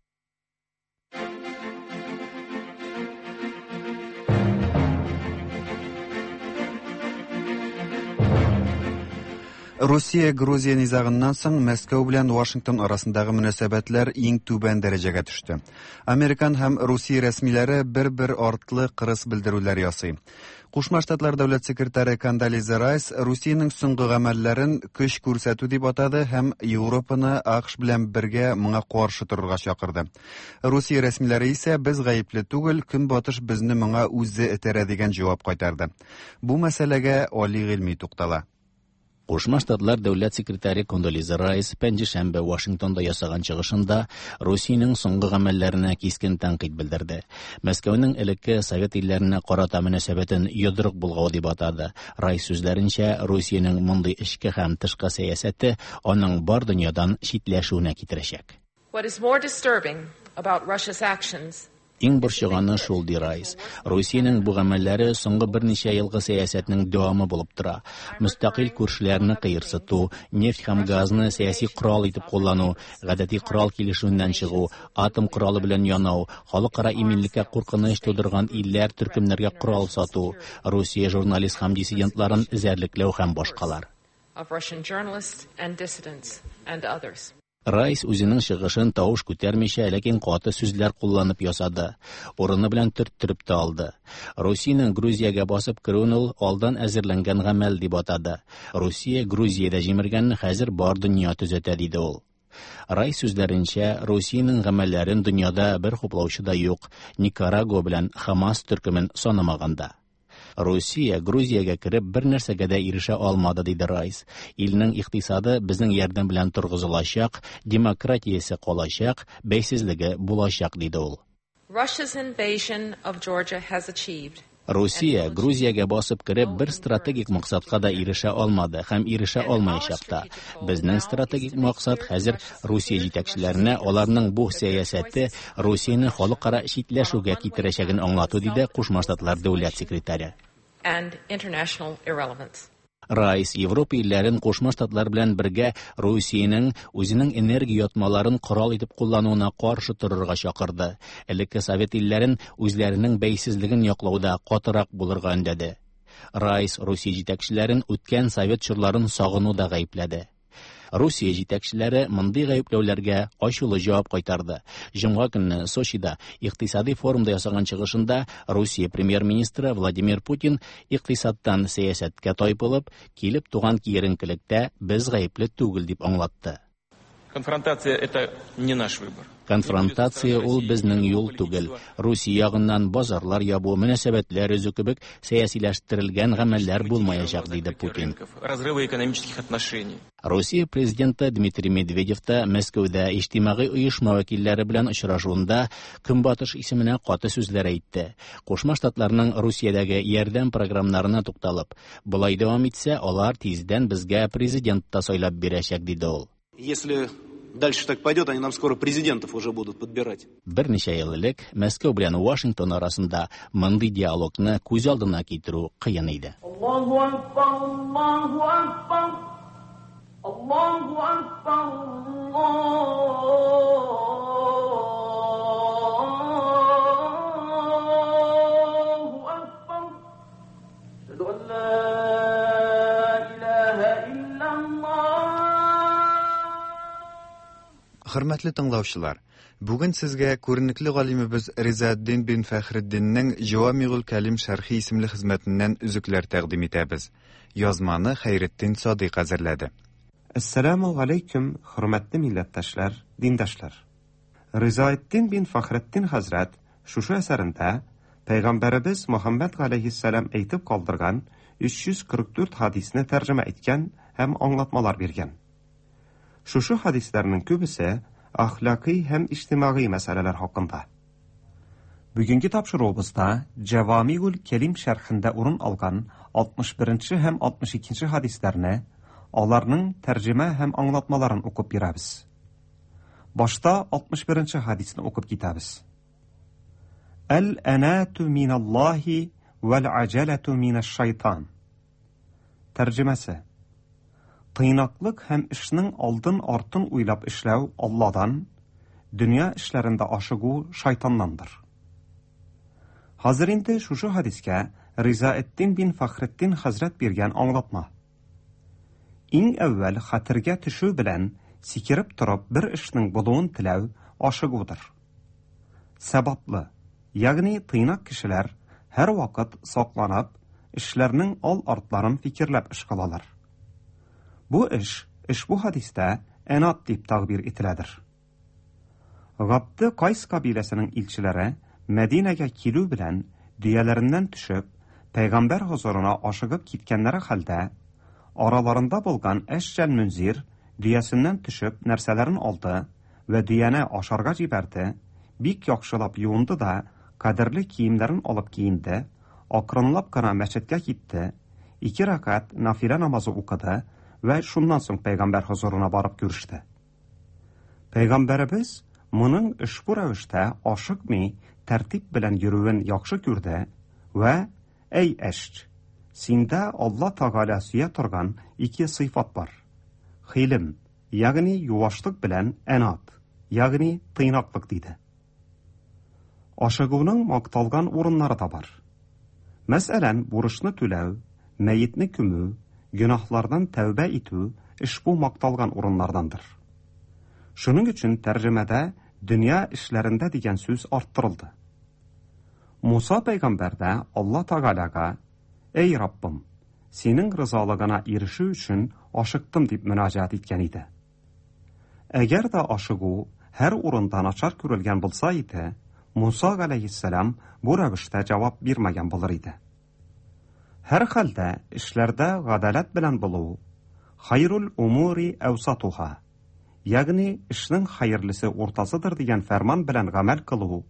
Русия-Грузия низагыннан соң Мәскәү белән Вашингтон арасындагы мөнәсәбәтләр иң түбән дәрәҗәгә төште. Американ һәм Русия рәсмиләре бер-бер артлы кырыс белдерүләр ясый. Кушма Штатлар дәүләт секретаре Кондолиза Райс Русиянең соңгы гамәлләрен көч күрсәтү дип атады һәм Европаны АКШ белән бергә моңа каршы торырга чакырды. Русия рәсмиләре исә без гаепле түгел, Көнбатыш безне моңа үзе этәрә дигән җавап кайтарды. Бу мәсьәләгә Али Гыйльми туктала. Кушма Штатлар дәүләт секретаре Кондолиза Райс пәнҗешәмбе Вашингтонда ясаган чыгышында Русиянең соңгы гамәлләренә кискен тәнкыйть белдерде. Мәскәүнең элекке совет илләренә карата мөнәсәбәтен йодрык болгау дип атады. Райс сүзләренчә, Русиянең мондый эчке һәм тышкы сәясәте аның бар дөньядан читләшүенә китерәчәк. What is more disturbing about Russia's actions Иң борчыганы шул, ди Райс. Русиянең бу гамәлләре соңгы берничә елгы сәясәтнең дәвамы булып тора. Мөстәкыйль күршеләрне кыерсыту, нефть һәм газны сәяси корал итеп куллану, гадәти корал килешүеннән чыгу, атом коралы белән янау, халыкара иминлеккә куркыныч тудырган илләр төркемнәргә корал сату, Русия журналист һәм диссидентларын эзәрлекләү һәм башкалар. of Russian journalists and dissidents and others. Райс үзенең чыгышын тавыш күтәрмичә, ләкин каты сүзләр кулланып ясады. Урыны белән төрттереп тә алды. Русиянең Грузиягә басып керүен ул алдан әзерләнгән гамәл дип атады. Русия Грузиядә җимергәнне хәзер бар дөнья төзәтә, диде ул. Райс сүзләренчә, Русиянең гамәлләрен дөньяда бер хуплаучы да юк, Никарагуа белән Хамас төркемен санамаганда. Русия Грузиягә кереп бер нәрсәгә дә ирешә алмады, диде Райс. Илнең икътисады безнең ярдәм белән торгызылачак, демократиясе калачак, бәйсезлеге булачак, диде ул. Russia's invasion of Georgia has achieved. Русия Грузиягә басып кереп бер стратегик максатка да ирешә алмады һәм ирешә алмаячак та. Безнең стратегик максат хәзер Русия җитәкчеләренә аларның бу сәясәте Русияне халыкара читләшүгә китерәчәген аңлату, диде Кушма Штатлар дәүләт секретаре. And international irrelevance. Райс Европа илләрен Кушма Штатлар белән бергә Русиянең үзенең энергия ятмаларын корал итеп куллануына каршы торырга чакырды. Элекке совет илләрен үзләренең бәйсезлеген яклауда катырак булырга өндәде. Райс Русия җитәкчеләрен үткән совет чорларын сагынуда гаепләде. Русия җитәкчеләре мондый гаепләүләргә ачулы җавап кайтарды. Җомга көнне Сочида икътисади форумда ясаган чыгышында Русия премьер-министры Владимир Путин икътисадтан сәясәткә тайпылып, килеп туган киеренкелектә без гаепле түгел дип аңлатты. Конфронтация это не наш выбор. Конфронтация ул безнең юл түгел. Русия ягыннан базарлар ябу, мөнәсәбәтләр өзү кебек сәясиләштерелгән гамәлләр булмаячак, диде Путин. Разрыва экономических отношений. Русия президенты Дмитрий Медведев та Мәскәүдә иҗтимагый оешма вәкилләре белән очрашуында Көнбатыш исеменә каты сүзләр әйтте. Кушма Штатларның Русиядәге ярдәм програмнарына тукталып, болай дәвам итсә, алар тиздән безгә президент та сайлап бирәчәк, диде ул. Если дальше так пойдет, они нам скоро президентов уже будут подбирать. Берничә ел элек Мәскәү белән Вашингтон арасында мондый диалогны күз алдына китерү кыен иде. Аллаһу акбар, Аллаһу акбар, Аллаһу акбар, Аллаһу акбар. Әшһәду ан ла илаһа иллаллаһ. Хөрмәтле тыңлаучылар, бүген сезгә күренекле галимебез Ризаэддин бин Фәхретдиннең Җавамигул Кәлим шәрхи исемле хезмәтеннән өзекләр тәкъдим итәбез. Язманы Хәйретдин Садыйк әзерләде. Әссәламү галәйкүм, хөрмәтле милләттәшләр, диндашлар! Ризаэддин бин Фәхретдин хәзрәт шушы әсәрендә Пәйгамбәребез Мөхәммәд галәйһиссәлам әйтеп калдырган 344 хадисне тәрҗемә иткән һәм аңлатмалар биргән. Шушы хадисләрнең күбесе әхлакый һәм иҗтимагый мәсьәләләр хакында. Бүгенге тапшыруыбызда Җәвамигул Кәлим шәрхендә урын алган 61 нче һәм 62 нче хадисләрне, аларның тәрҗемә һәм аңлатмаларын укып бирәбез. Башта 61 нче хадисны укып китәбез. Әл-әнату миналлаһи вәл-аҗәләту минәш-шайтан. Тәрҗемәсе. Тыйнаклык һәм эшнең алдын-артын уйлап эшләү Алладан, дөнья эшләрендә ашыгу шайтаннандыр. Хәзер инде шушы хәдискә Ризаэддин бин Фәхретдин хәзрәт биргән аңлатма. Иң әүвәл хәтергә төшү белән сикереп торып бер эшнең булуын теләү ашыгудыр. Сәбатлы, ягъни тыйнак кешеләр һәрвакыт сакланып, эшләрнең ал-артларын фикерләп эш кылалар. Бу эш ошбу хәдистә әнат дип тәгъбир ителәдер. Габде Кайс кабиләсенең илчеләре Мәдинәгә килү белән дөяләреннән төшеп, пәйгамбәр хозурына ашыгып киткәннәре хәлдә, араларында булган Әшҗәл Мөнзир дөясеннән төшеп нәрсәләрен алды вә дөяне ашарга җибәрде, бик яхшылап юынды да, кадерле киемнәрен алып киенде, акрынлап кына мәчеткә китте, ике рәкать нафилә намазы укыды вә шуннан соң пәйгамбәр хозурына барып күреште. Пәйгамбәребез моның ошбу рәвештә ашыкмый, тәртип белән йөрүен яхшы күрде вә, Әй Әшч! Синдә Алла Тәгалә сөя торган ике сыйфат бар, хилем, ягъни юашлык белән әнат, ягъни тыйнаклык, диде. Ашыгуның макталган урыннары да бар. Мәсәлән, бурычны түләү, мәетне күмү, гөнаһлардан тәүбә итү ошбу макталган урыннардандыр. Шуның өчен тәрҗемәдә дөнья эшләрендә дигән сүз арттырылды. Муса пәйгамбәр дә Алла Тәгаләгә, Әй Раббым, Синең ризалыгына ирешү өчен ашыктым дип мөрәҗәгать иткән иде. Әгәр дә ашыгу һәр урында начар күрелгән булса иде, Муса галәйһиссәлам бу рәвештә җавап бирмәгән булыр иде. Һәрхәлдә, эшләрдә гадаләт белән булу, хайрул умури әүсатуха, ягъни эшнең хәерлесе уртасыдыр дигән фәрман белән гамәл кылу,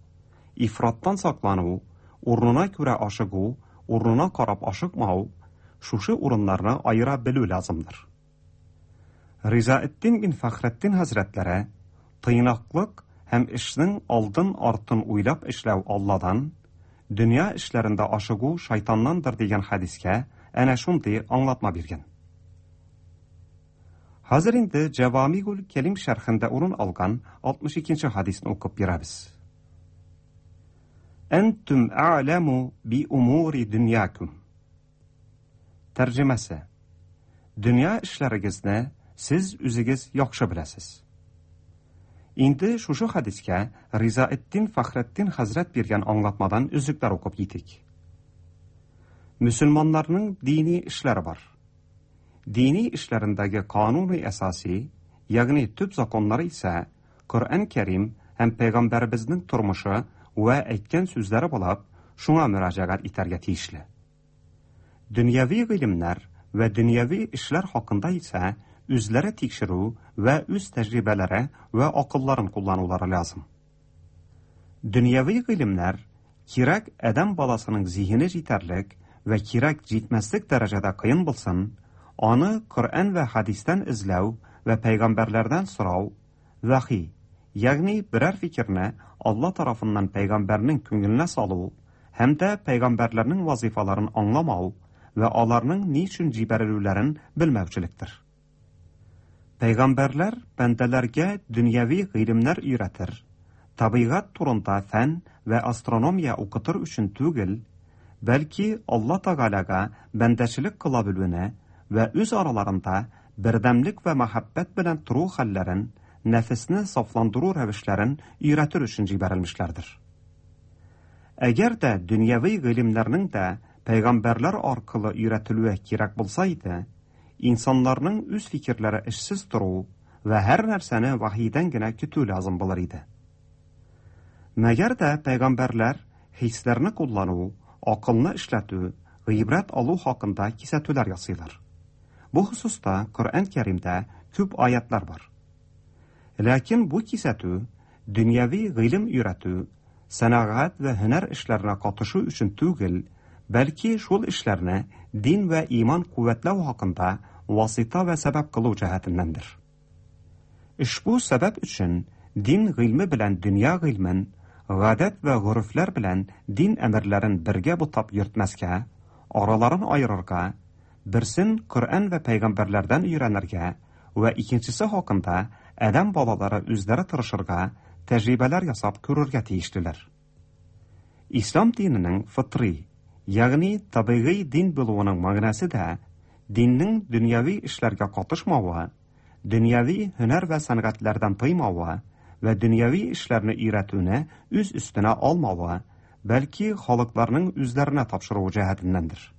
ифраттан саклану, урынына күрә ашыгу, урынына карап ашыкмау, шушы урыннарны аера белү лазымдыр. Ризаэддин бин Фәхретдин хәзрәтләре, Тыйнаклык һәм эшнең алдын-артын уйлап эшләү Алладан, дөнья эшләрендә ашыгу шайтаннандыр дигән хәдискә әнә шундый аңлатма биргән. Хәзер инде Җәвамигуль Кәлим шәрхендә урын алган 62 нче хәдисне укып бирәбез. Әнтүм әгъләму би умури дөньякум. Тәрҗемәсе. Дөнья эшләрегезне сез үзегез яхшы беләсез. Инде шушы хәдискә Ризаэддин Фәхретдин хәзрәт биргән аңлатмадан өзекләр укып китик. Мөселманнарның дини эшләре бар. Дини эшләрендәге кануни әсаси, ягъни төп законнары исә Коръән Кәрим һәм пәйгамбәребезнең тормышы вә әйткән сүзләре булып, шуңа мөрәҗәгать итәргә тиешле. Дөньяви гыйлемнәр вә дөньяви эшләр хакында исә үзләре тикшерү вә үз тәҗрибәләре вә акылларын кулланулары лязым. Дөньяви гыйлемнәр кирәк адәм баласының зиһене җитәрлек вә кирәк җитмәслек дәрәҗәдә кыен булсын, аны Коръән вә хәдистән эзләү вә пәйгамбәрләрдән сорау, вәхи, ягъни берәр фикерне Алла тарафыннан пәйгамбәрнең күңеленә салу һәм дә пәйгамбәрләрнең вазыйфаларын аңламау вә аларның ни өчен җибәрелүләрен белмәүчелектер. Пәйгамбәрләр бәндәләргә дөньяви гыйлемнәр өйрәтер, табигать турында фән вә астрономия укытыр өчен түгел, бәлки Алла Тәгаләгә бәндәчелек кыла белүне вә үз араларында бердәмлек вә мәхәббәт белән тору хәлләрен, нәфесне сафландыру рәвешләрен өйрәтер өчен җибәрелмешләрдер. Әгәр дә дөньяви гыйлемнәрнең дә пәйгамбәрләр аркылы өйрәтелүе кирәк булса иде, инсаннарның үз фикерләре эшсез тору вә һәр нәрсәне вахийдән генә көтү лязым булыр иде. Мәгәр дә пәйгамбәрләр хисләрне куллану, акылны эшләтү, гыйбрәт алу хакында кисәтүләр ясыйлар. Бу хосуста Коръән Кәримдә күп аятлар бар. Ләкин бу кисәтү дөньяви гыйлем өйрәтү, сәнәгать вә һөнәр эшләренә катышу өчен түгел, бәлки шул эшләрне дин вә иман куәтләү хакында васыйта вә сәбәп кылу җәһәтеннәндер. Ошбу сәбәп өчен дин гыйльме белән дөнья гыйльмен, гадәт вә горефләр белән дин әмерләрен бергә бутап йөртмәскә, араларын аерырга, берсен Коръән вә пәйгамбәрләрдән өйрәнергә вә икенчесе хакында адәм балалары үзләре тырышырга, тәҗрибәләр ясап күрергә тиешлеләр. Ислам диненең фытрый, ягъни табигый дин булуының мәгънәсе дә диннең дөньяви эшләргә катышмавы, дөньяви һөнәр вә сәнгатьләрдән тыймавы вә дөньяви эшләрне өйрәтүне үз өстенә алмавы, бәлки халыкларның үзләренә тапшыруы җәһәтеннәндер.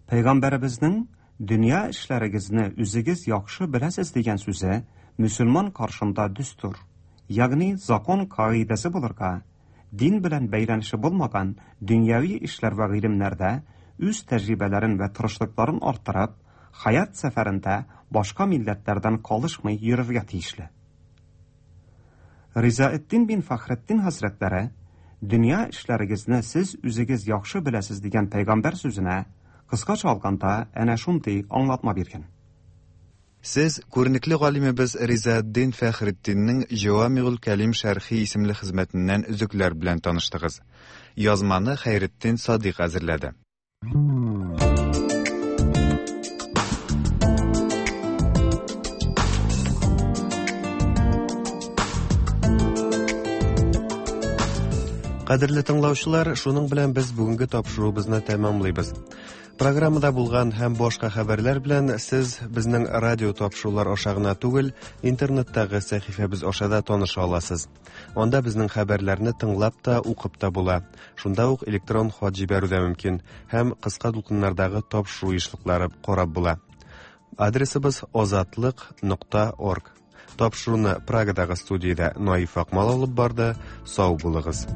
Пәйгамбәребезнең Дөнья эшләрегезне үзегез яхшы беләсез дигән сүзе мөселман каршында дөстур, ягъни закон кагыйдәсе булырга, дин белән бәйләнеше булмаган дөньяви эшләр вә гыйлемнәрдә үз тәҗрибәләрен вә тырышлыкларын арттырып, хаят сәфәрендә башка милләтләрдән калышмый йөрергә тиешле. Ризаэддин бин Фәхретдин хәзрәтләре, Дөнья эшләрегезне сез үзегез яхшы беләсез дигән пәйгамбәр сүзенә, кыскача алганда, әнә шундый аңлатма биргән. Сез күренекле галимебез Ризаэддин Фәхретдиннең Җәвамигуль Кәлим шәрхи исемле хезмәтеннән өзекләр белән таныштыгыз. Язманы Хәйретдин Садыйк әзерләде. Кадерле тыңлаучылар, шуның белән без бүгенге тапшыруыбызны тәмамлыйбыз. Программада булган һәм башка хәбәрләр белән сез безнең радио тапшырулар аша гына түгел, интернеттагы сәхифәбез аша да таныша аласыз. Анда безнең хәбәрләрне тыңлап та, укып та була. Шунда ук электрон хат җибәрү дә мөмкин һәм кыска дулкыннардагы тапшыру ешлыклары карап була. Адресыбыз озатлык нокта орг. Тапшыруны Прагадагы студиядә Наиф Акмал алып барды. Сау булыгыз.